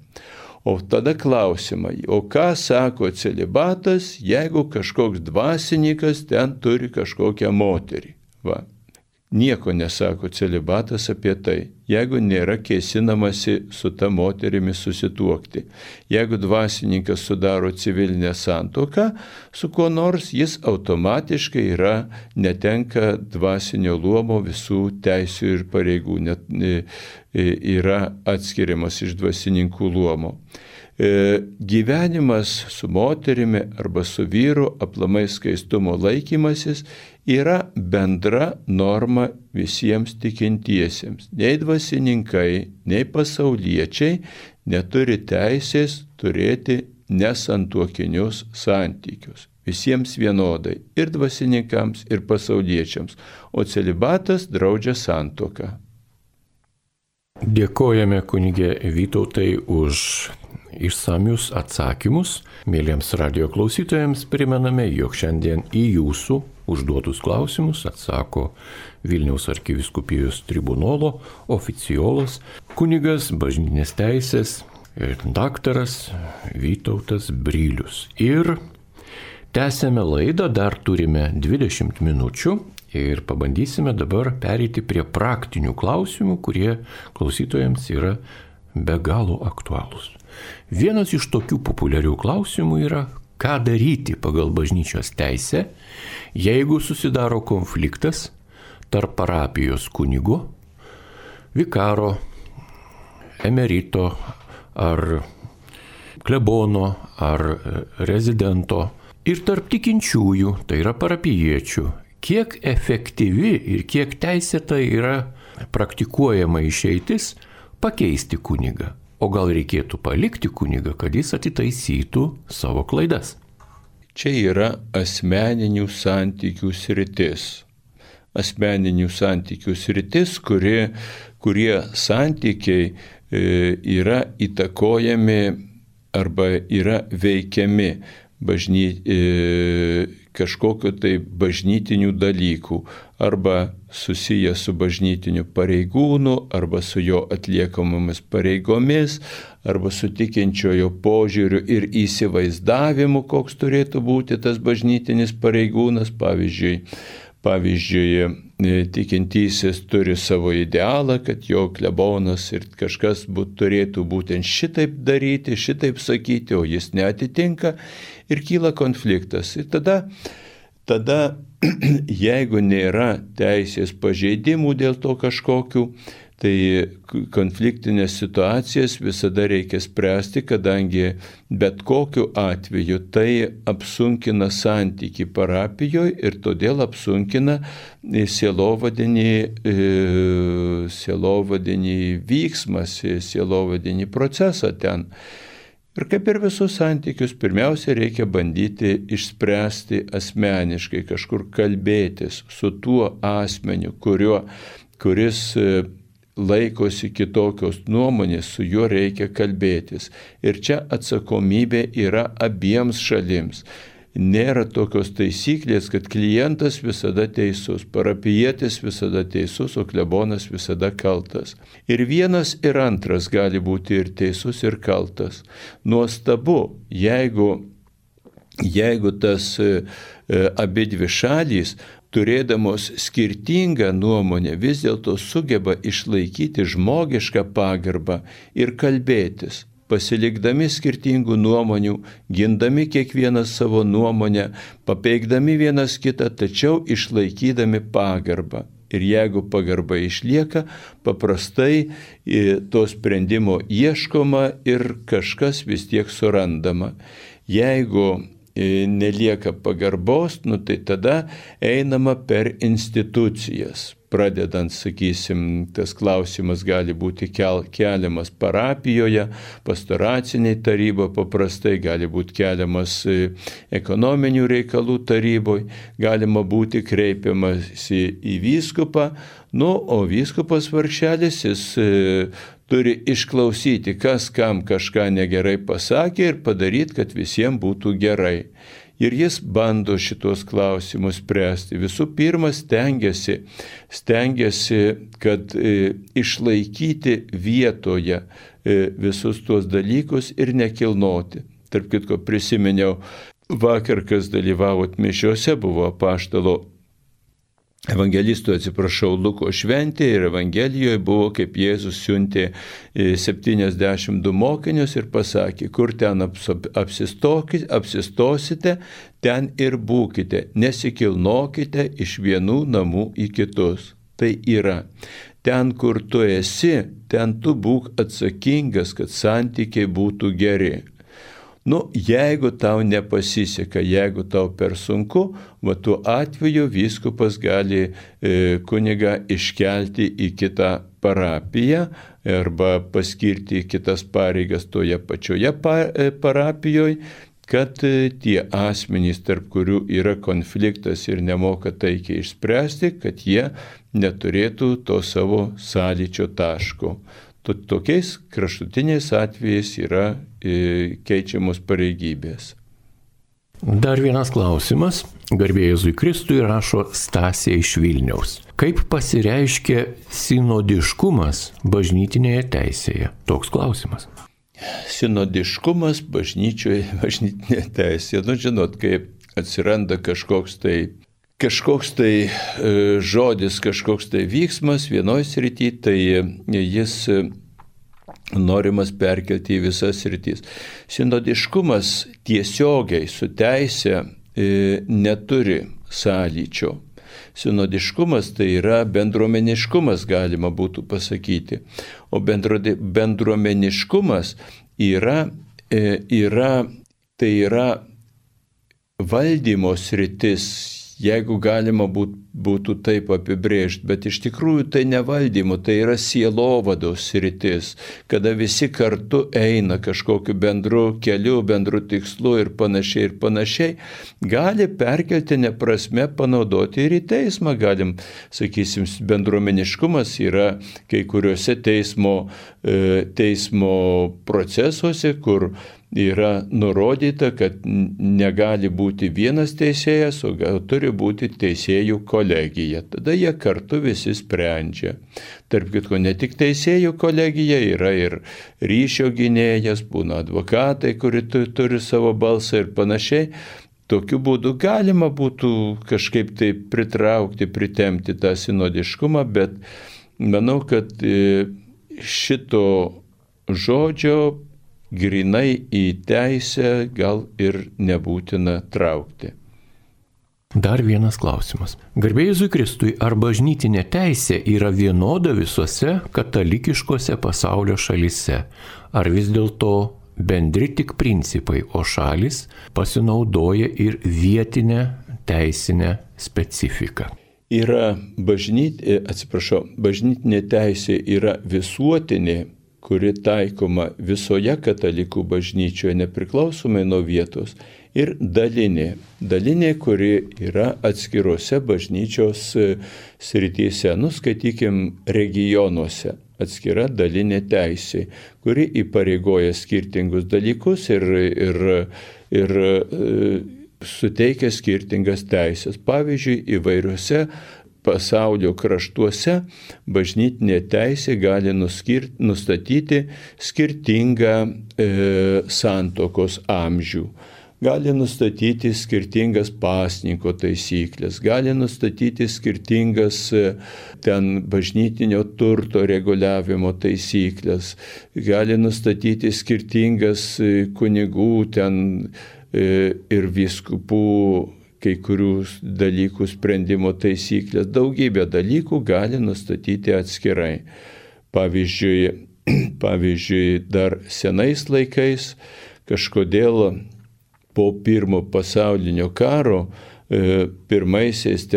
O tada klausimai, o ką sako celibatas, jeigu kažkoks dvasininkas ten turi kažkokią moterį? Va. Nieko nesako celibatas apie tai, jeigu nėra kėsinamasi su ta moterimi susituokti. Jeigu dvasininkas sudaro civilinę santuoką su kuo nors, jis automatiškai netenka dvasinio luomo visų teisių ir pareigų, yra atskiriamas iš dvasininkų luomo. Gyvenimas su moterimi arba su vyru, aplamai skaistumo laikymasis, yra bendra norma visiems tikintiesiems. Nei dvasininkai, nei pasauliečiai neturi teisės turėti nesantuokinius santykius. Visiems vienodai, ir dvasininkams, ir pasauliečiams. O celibatas draudžia santuoką. Dėkojame kunigė Vytautai už išsamius atsakymus. Mėlyms radijo klausytojams primename, jog šiandien į jūsų užduotus klausimus atsako Vilniaus arkivyskupijos tribunolo oficiolas, kunigas bažnytinės teisės ir daktaras Vytautas Brilius. Ir tęsėme laidą, dar turime 20 minučių. Ir pabandysime dabar pereiti prie praktinių klausimų, kurie klausytojams yra be galo aktualūs. Vienas iš tokių populiarių klausimų yra, ką daryti pagal bažnyčios teisę, jeigu susidaro konfliktas tarp parapijos kunigo, vikaro, emerito ar klebono ar rezidento ir tarp tikinčiųjų, tai yra parapijiečių. Kiek efektyvi ir kiek teisėta yra praktikuojama išeitis pakeisti kunigą, o gal reikėtų palikti kunigą, kad jis atitaisytų savo klaidas. Čia yra asmeninių santykių sritis. Asmeninių santykių sritis, kurie santykiai yra įtakojami arba yra veikiami kažkokio tai bažnytinių dalykų, arba susiję su bažnytiniu pareigūnu, arba su jo atliekamomis pareigomis, arba su tikinčiojo požiūriu ir įsivaizdavimu, koks turėtų būti tas bažnytinis pareigūnas. Pavyzdžiui, tikintysis turi savo idealą, kad jo klebonas ir kažkas turėtų būtent šitaip daryti, šitaip sakyti, o jis neatitinka ir kyla konfliktas. Ir tada jeigu nėra teisės pažeidimų dėl to kažkokių, Tai konfliktinės situacijas visada reikia spręsti, kadangi bet kokiu atveju tai apsunkina santyki parapijoje ir todėl apsunkina sielovadinį vyksmą, sielovadinį procesą ten. Ir kaip ir visus santykius, pirmiausia, reikia bandyti išspręsti asmeniškai, kažkur kalbėtis su tuo asmeniu, kuris laikosi kitokios nuomonės, su juo reikia kalbėtis. Ir čia atsakomybė yra abiems šalims. Nėra tokios taisyklės, kad klientas visada teisus, parapijietis visada teisus, o klebonas visada kaltas. Ir vienas ir antras gali būti ir teisus, ir kaltas. Nuostabu, jeigu tas abidvi šalys, turėdamos skirtingą nuomonę, vis dėlto sugeba išlaikyti žmogišką pagarbą ir kalbėtis. Pasilikdami skirtingų nuomonių, gindami kiekvieną savo nuomonę, papeikdami vienas kitą, tačiau išlaikydami pagarbą. Ir jeigu pagarba išlieka, paprastai to sprendimo ieškoma ir kažkas vis tiek surandama. Jeigu nelieka pagarbos, tai tada einama per institucijas. Pradedant, sakysim, tas klausimas gali būti keliamas parapijoje, pastoraciniai taryboje, paprastai gali būti keliamas ekonominių reikalų taryboje, galima būti kreipiamasi į vyskupą, o vyskupas vargšelis jis turi išklausyti, kas kam kažką negerai pasakė ir padaryti, kad visiems būtų gerai. Ir jis bando šitos klausimus spręsti. Visų pirma, stengiasi, kad išlaikyti vietoje visus tuos dalykus ir nekilnoti. Tarp kitko, prisiminiau, vakar, kas dalyvavot mišiuose, buvo apaštalo Luko šventė ir Evangelijoje buvo, kaip Jėzus siuntė 72 mokinius ir pasakė, kur ten apsistosite, ten ir būkite, nesikilnokite iš vienų namų į kitus. Tai yra, ten, kur tu esi, ten tu būk atsakingas, kad santykiai būtų geri. Jeigu tau nepasiseka, jeigu tau per sunku, tuo atveju vyskupas gali kunigą iškelti į kitą parapiją arba paskirti kitas pareigas toje pačioje parapijoje, kad tie asmenys, tarp kurių yra konfliktas ir nemoka taikiai išspręsti, kad jie neturėtų to savo sąlyčio taško. Tokiais kraštutiniais atvejais yra keičiamos pareigybės. Dar vienas klausimas. Garbė Jėzui Kristui, rašo Stasė iš Vilniaus. Kaip pasireiškia sinodiškumas bažnytinėje teisėje? Toks klausimas. Sinodiškumas bažnytinėje teisėje. Žinot, kai atsiranda kažkoks tai žodis, kažkoks tai vyksmas vienoj srity, tai jis norimas perkelti į visas sritis. Sinodiškumas tiesiogiai su teise neturi sąlyčio. Sinodiškumas tai yra bendruomeniškumas, galima būtų pasakyti. O bendruomeniškumas tai yra valdymo sritis, jeigu galima būtų taip apibrėžti, bet iš tikrųjų tai ne valdymo, tai yra sielovados sritis, kada visi kartu eina kažkokiu bendru keliu, bendru tikslu ir panašiai, gali perkeltinę prasme panaudoti ir į teismą. Galim, sakysim, bendruomeniškumas yra kai kuriuose teismo procesuose, kur yra nurodyta, kad negali būti vienas teisėjas, o turi būti teisėjų kolegija. Tada jie kartu visi sprendžia. Tarp kitko, ne tik teisėjų kolegija, yra ir ryšio gynėjas, būna advokatai, kurie turi savo balsą ir panašiai. Tokiu būdu galima būtų kažkaip tai pritraukti, pritemti tą sinodiškumą, bet manau, kad šito žodžio grinai į teisę gal ir nebūtina traukti. Dar vienas klausimas. Garbė Jėzui Kristui, ar bažnytinė teisė yra vienoda visose katalikiškose pasaulio šalyse? Ar vis dėlto bendri tik principai, o šalis pasinaudoja ir vietinę teisinę specifiką? Bažnytinė teisė yra visuotinė, kuri taikoma visoje katalikų bažnyčioje nepriklausomai nuo vietos, ir dalinė, kuri yra atskirose bažnyčios srityse, skaitykim, regionuose, atskira dalinė teisė, kuri įpareigoja skirtingus dalykus ir suteikia skirtingas teisės. Pavyzdžiui, įvairiuose pasaulio kraštuose bažnytinė teisė gali nustatyti skirtingą santuokos amžių, gali nustatyti skirtingas pasninko taisyklės, gali nustatyti skirtingas bažnytinio turto reguliavimo taisyklės, gali nustatyti skirtingas kunigų ir vyskupų kai kurių dalykų sprendimo taisyklės, daugybę dalykų gali nustatyti atskirai. Pavyzdžiui, dar senais laikais kažkodėl po pirmo pasaulinio karo pirmaisiais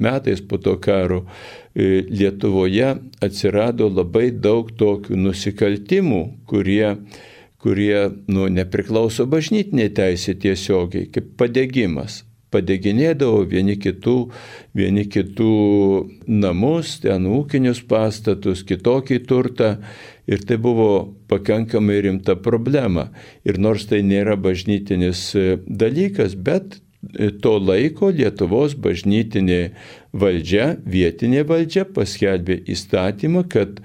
metais po to karo Lietuvoje atsirado labai daug tokių nusikaltimų, kurie nepriklauso bažnytinė teisė tiesiogiai, kaip padegimas. Padeginėdavo vieni kitų namus, ūkinius pastatus, kitokį turtą, ir tai buvo pakankamai rimta problema. Ir nors tai nėra bažnytinis dalykas, bet to laiko Lietuvos bažnytinė valdžia, vietinė valdžia paskelbė įstatymą, kad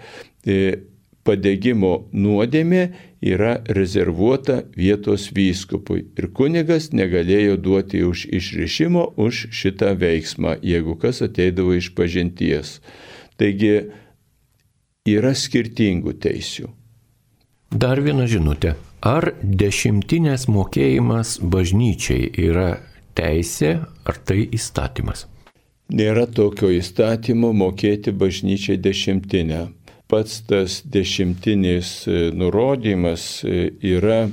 padegimo nuodėmė yra rezervuota vietos vyskupui ir kunigas negalėjo duoti už išrišimo už šitą veiksmą, jeigu kas ateidavo iš pažinties. Taigi yra skirtingų teisių. Dar viena žinutė. Ar dešimtinės mokėjimas bažnyčiai yra teisė, ar tai įstatymas? Nėra tokio įstatymo mokėti bažnyčiai dešimtinę. Pats tas dešimtinis nurodymas yra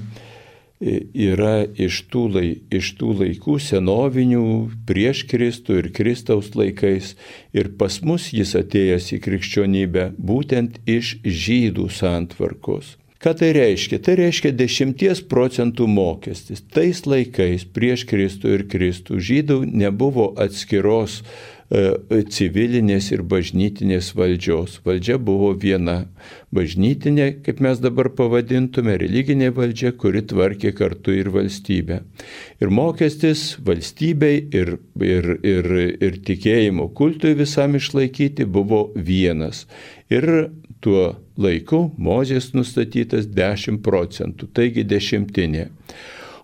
iš tų laikų senovinių prieš Kristų ir Kristaus laikais. Ir pas mus jis atėjęs į krikščionybę būtent iš žydų santvarkos. Ką tai reiškia? Tai reiškia 10% mokestis. Tais laikais prieš Kristų ir Kristų žydų nebuvo atskiros civilinės ir bažnytinės valdžios. Valdžia buvo viena. Bažnytinė, kaip mes dabar pavadintume, religinė valdžia, kuri tvarkė kartu ir valstybę. Ir mokestis valstybei ir tikėjimo kultui visam išlaikyti buvo vienas. Ir tuo laiku Mozės nustatytas 10%, taigi dešimtinė.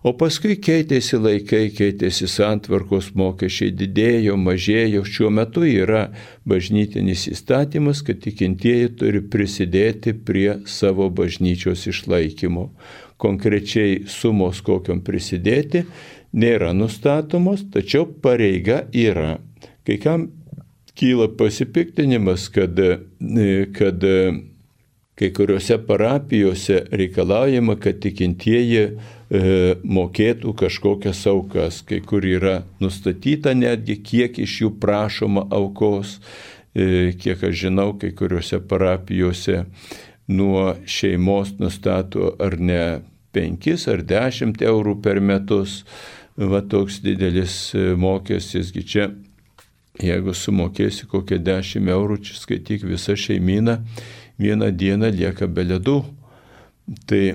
O paskui keitėsi laikai, keitėsi santvarkos, mokesčiai didėjo, mažėjo. Šiuo metu yra bažnytinis įstatymas, kad tikintieji turi prisidėti prie savo bažnyčios išlaikymo. Konkrečiai sumos, kokiom prisidėti, nėra nustatomos, tačiau pareiga yra. Kai kam kyla pasipiktinimas, kad kai kuriuose parapijose reikalaujama, kad tikintieji mokėtų kažkokias aukas, kai kur yra nustatyta netgi, kiek iš jų prašoma aukos, kiek aš žinau, kai kuriuose parapijose nuo šeimos nustato ar ne 5 ar 10 eurų per metus, va toks didelis mokestis, čia jeigu sumokėsi kokią 10 eurų, čia skaityk visa šeimyna, vieną dieną lieka be ledų. Tai,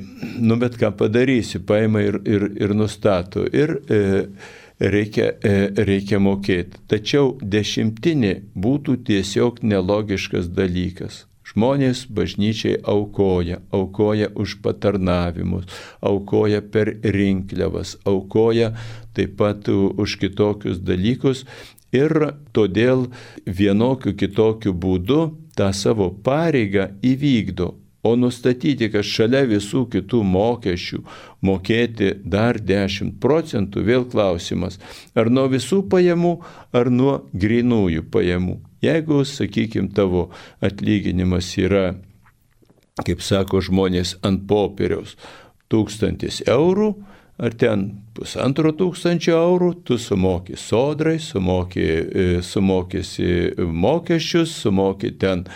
bet ką padarysi, paima ir nustato. Ir reikia mokėti. Tačiau dešimtinė būtų tiesiog nelogiškas dalykas. Žmonės bažnyčiai aukoja už patarnavimus, aukoja per rinkliavas, aukoja taip pat už kitokius dalykus. Ir todėl vienokiu kitokiu būdu tą savo pareigą įvykdo. O nustatyti, kad šalia visų kitų mokesčių mokėti dar 10 procentų, vėl klausimas, ar nuo visų pajamų, ar nuo grynųjų pajamų. Jeigu, sakykime, tavo atlyginimas yra, kaip sako žmonės, ant popieriaus 1000 eurų, ar ten 1500 eurų, tu sumoki sodrai, sumokėsi mokesčius, sumoki ten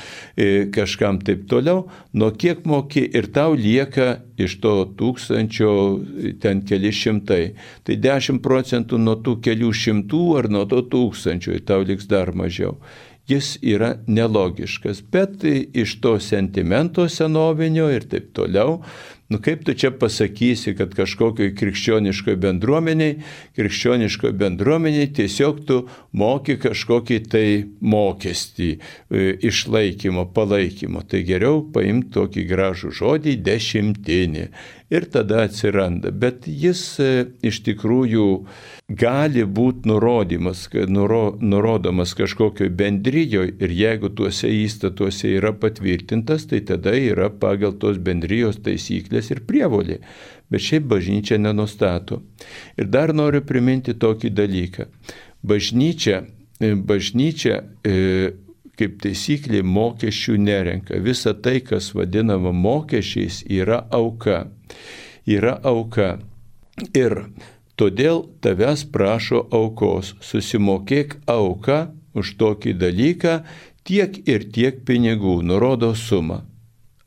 kažkam taip toliau, nuo kiek moki ir tau lieka iš to 1000 ten keli šimtai. Tai 10 procentų nuo tų kelių šimtų ar nuo to 1000 tau liks dar mažiau. Jis yra nelogiškas, bet iš to sentimento senovinio ir taip toliau, kaip tu čia pasakysi, kad kažkokioj krikščioniškoje bendruomeniai tiesiog tu moki kažkokį tai mokestį išlaikymo, palaikymo. Tai geriau paimti tokį gražų žodį dešimtinį ir tada atsiranda. Bet jis iš tikrųjų gali būti nurodomas kažkokioj bendrijoje ir jeigu tuose įstatuose yra patvirtintas, tai tada yra pagal tos bendrijos taisyklės ir prievolė. Bet šiaip bažnyčia nenustato. Ir dar noriu priminti tokį dalyką. Bažnyčia kaip taisyklė mokesčių nerenka. Visa tai, kas vadinama mokesčiais, yra auka. Yra auka. Ir todėl tavęs prašo aukos. Susimokėk auką už tokį dalyką tiek ir tiek pinigų, nurodo sumą.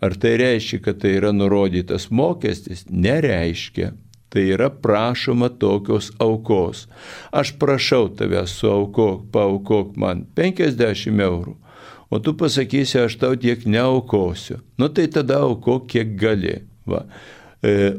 Ar tai reiškia, kad tai yra nurodytas mokestis? Nereiškia. Tai yra prašoma tokios aukos. Aš prašau tavęs paaukok man 50 eurų, o tu pasakysi, aš tau tiek neaukosiu. Tai tada aukok kiek gali. Va.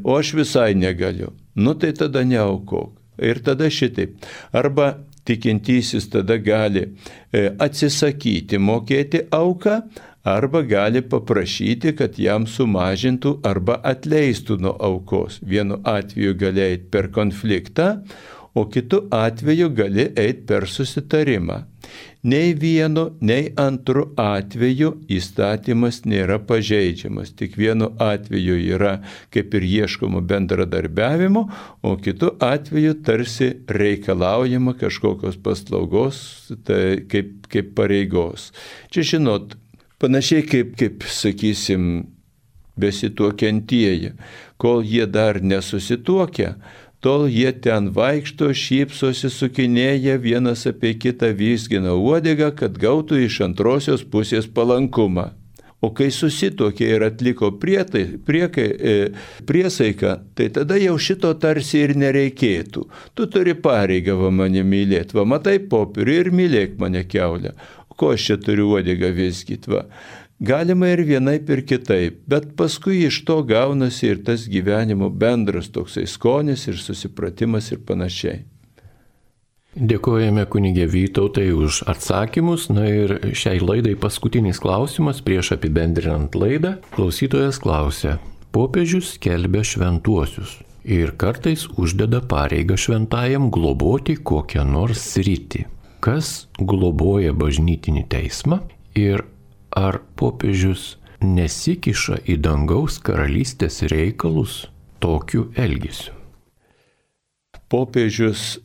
O aš visai negaliu. Tai tada neaukok. Ir tada šitaip. Arba tikintysis tada gali atsisakyti mokėti auką, arba gali paprašyti, kad jam sumažintų arba atleistų nuo aukos. Vienu atveju gali eiti per konfliktą, o kitu atveju gali eiti per susitarimą. Nei vienu, nei antru atveju įstatymas nėra pažeidžiamas. Tik vienu atveju yra kaip ir ieškoma bendradarbiavimo, o kitu atveju tarsi reikalaujama kažkokios paslaugos, tai kaip pareigos. Čia žinot, panašiai kaip sakysim, besituokiantieji, kol jie dar nesusituokia, tol jie ten vaikšto, šypsosi, sukinėja, vienas apie kitą vizgina uodegą, kad gautų iš antrosios pusės palankumą. O kai susituokė ir atliko priesaiką, tai tada jau šito tarsi ir nereikėtų. Tu turi pareigą mane mylėti, matai popierių ir mylėk mane kiaulę. Ko aš čia turiu uodegą vizgyti, va. Galima ir vienaip ir kitaip, bet paskui iš to gaunasi ir tas gyvenimo bendras toksai skonis ir susipratimas ir panašiai. Dėkojame kunigė Vytautai už atsakymus. Ir šiai laidai paskutinis klausimas prieš apibendrinant laidą. Klausytojas klausia, popiežius skelbia šventuosius ir kartais uždeda pareigą šventajam globoti kokią nors sritį. Kas globoja bažnytinį teismą ir ar popiežius nesikiša į dangaus karalystės reikalus tokiu elgesiu? Popiežius,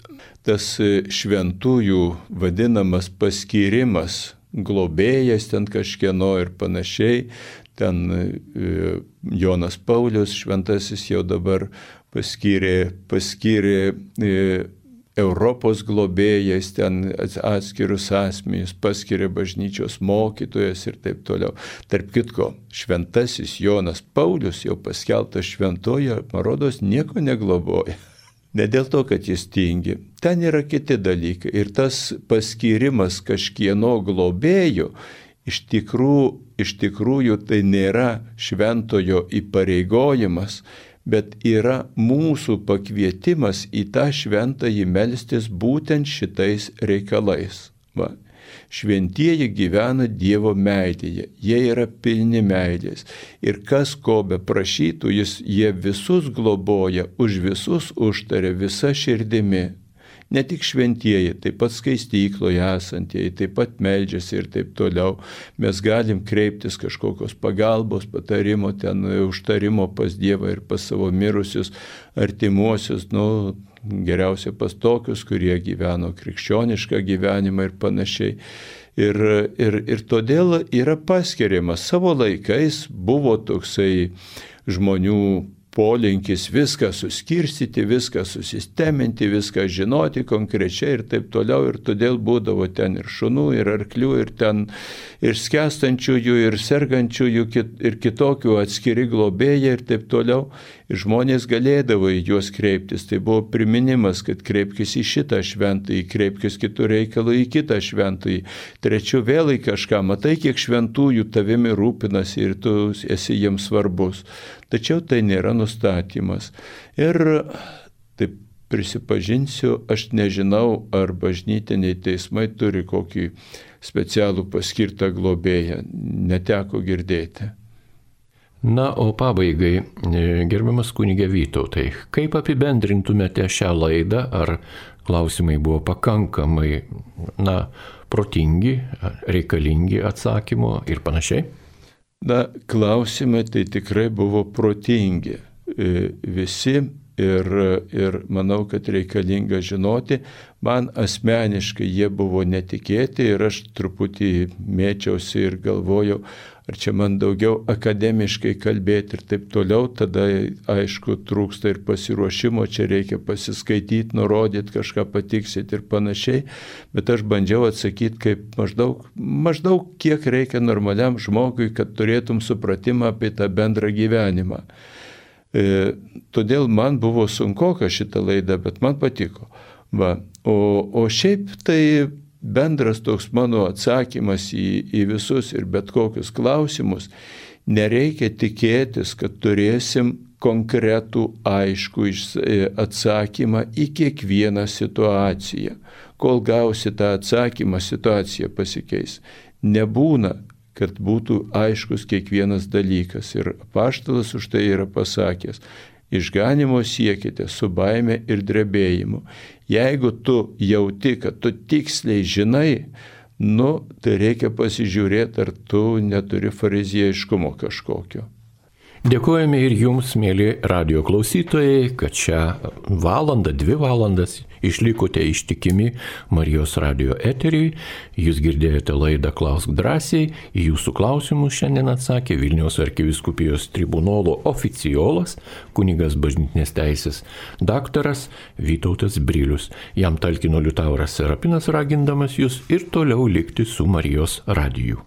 tas šventųjų vadinamas paskyrimas, globėjas ten kažkieno ir panašiai, ten Jonas Paulius šventasis jau dabar paskyrė Europos globėjais, ten atskirus asmenys, paskiria bažnyčios mokytojas ir taip toliau. Tarp kitko, šventasis Jonas Paulius jau paskelbtas šventoje, man rodos, nieko negloboja. Ne dėl to, kad jis tingi. Ten yra kiti dalykai. Ir tas paskyrimas kažkieno globėjo, iš tikrųjų tai nėra šventojo įpareigojimas, bet yra mūsų pakvietimas į tą šventąjį melstis būtent šitais reikalais. Va. Šventieji gyvena Dievo meilėje, jie yra pilni meilės. Ir kas ko be prašytų, jie visus globoja, už visus užtaria visa širdimi. ne tik šventieji, taip pat skaistykloje esantieji, taip pat meldžiasi ir taip toliau. Mes galim kreiptis kažkokios pagalbos, patarimo, ten užtarimo pas Dievą ir pas savo mirusius artimuosius, geriausia pas tokius, kurie gyveno krikščionišką gyvenimą ir panašiai. Ir todėl yra paskiriamas. Savo laikais buvo toksai žmonių polinkis viską suskirstyti, viską susisteminti, viską žinoti konkrečiai ir taip toliau. Ir todėl būdavo ten ir šunų, ir arklių, ir ten ir skęstančiųjų, ir sergančiųjų, ir kitokių atskiri globėjai ir taip toliau. Ir žmonės galėdavo į juos kreiptis. Tai buvo priminimas, kad kreipkis į šitą šventąjį, kreipkis kitų reikalų į kitą šventąjį. Trečiu vėl į kažką. Matai, kiek šventųjų tavimi rūpinasi ir tu esi jiems svarbus. Tačiau tai nėra nustatymas. Ir taip prisipažinsiu, aš nežinau, ar bažnytiniai teismai turi kokį specialų paskirtą globėją. Neteko girdėti. Na, o pabaigai, gerbiamas kunige Vytautai, kaip apibendrintumėte šią laidą? Ar klausimai buvo pakankamai, protingi, reikalingi atsakymo ir panašiai? Klausimai tai tikrai buvo protingi. Visi ir manau, kad reikalinga žinoti. Man asmeniškai jie buvo netikėti ir aš truputį mėčiausi ir galvojau, ar čia man daugiau akademiškai kalbėti ir taip toliau. Tada, aišku, trūksta ir pasiruošimo, čia reikia pasiskaityti, nurodyti, kažką patiksyti ir panašiai. Bet aš bandžiau atsakyti kaip maždaug kiek reikia normaliam žmogui, kad turėtum supratimą apie tą bendrą gyvenimą. Todėl man buvo sunkoka šitą laidą, bet man patiko. O šiaip tai bendras toks mano atsakymas į visus ir bet kokius klausimus, nereikia tikėtis, kad turėsim konkretų aiškų atsakymą į kiekvieną situaciją. Kol gausi tą atsakymą, situacija pasikeis. Nebūna, kad būtų aiškus kiekvienas dalykas. Ir apaštalas už tai yra pasakęs: išganimo siekite su baime ir drebėjimu. Jeigu tu jauti, kad tu tiksliai žinai, tai reikia pasižiūrėti, ar tu neturi fariziejiškumo kažkokio. Dėkojame ir jums, mėly radijo klausytojai, kad šią valandą, 2 valandas išlikote ištikimi Marijos radijo eteriui. Jūs girdėjote laidą Klausk drąsiai. Į jūsų klausimus šiandien atsakė Vilniaus arkivyskupijos tribunolo oficiolas, kunigas bažnytinės teisės daktaras Vytautas Brilius. Jam talkino Liutauras Serapinas, ragindamas jūs ir toliau likti su Marijos radiju.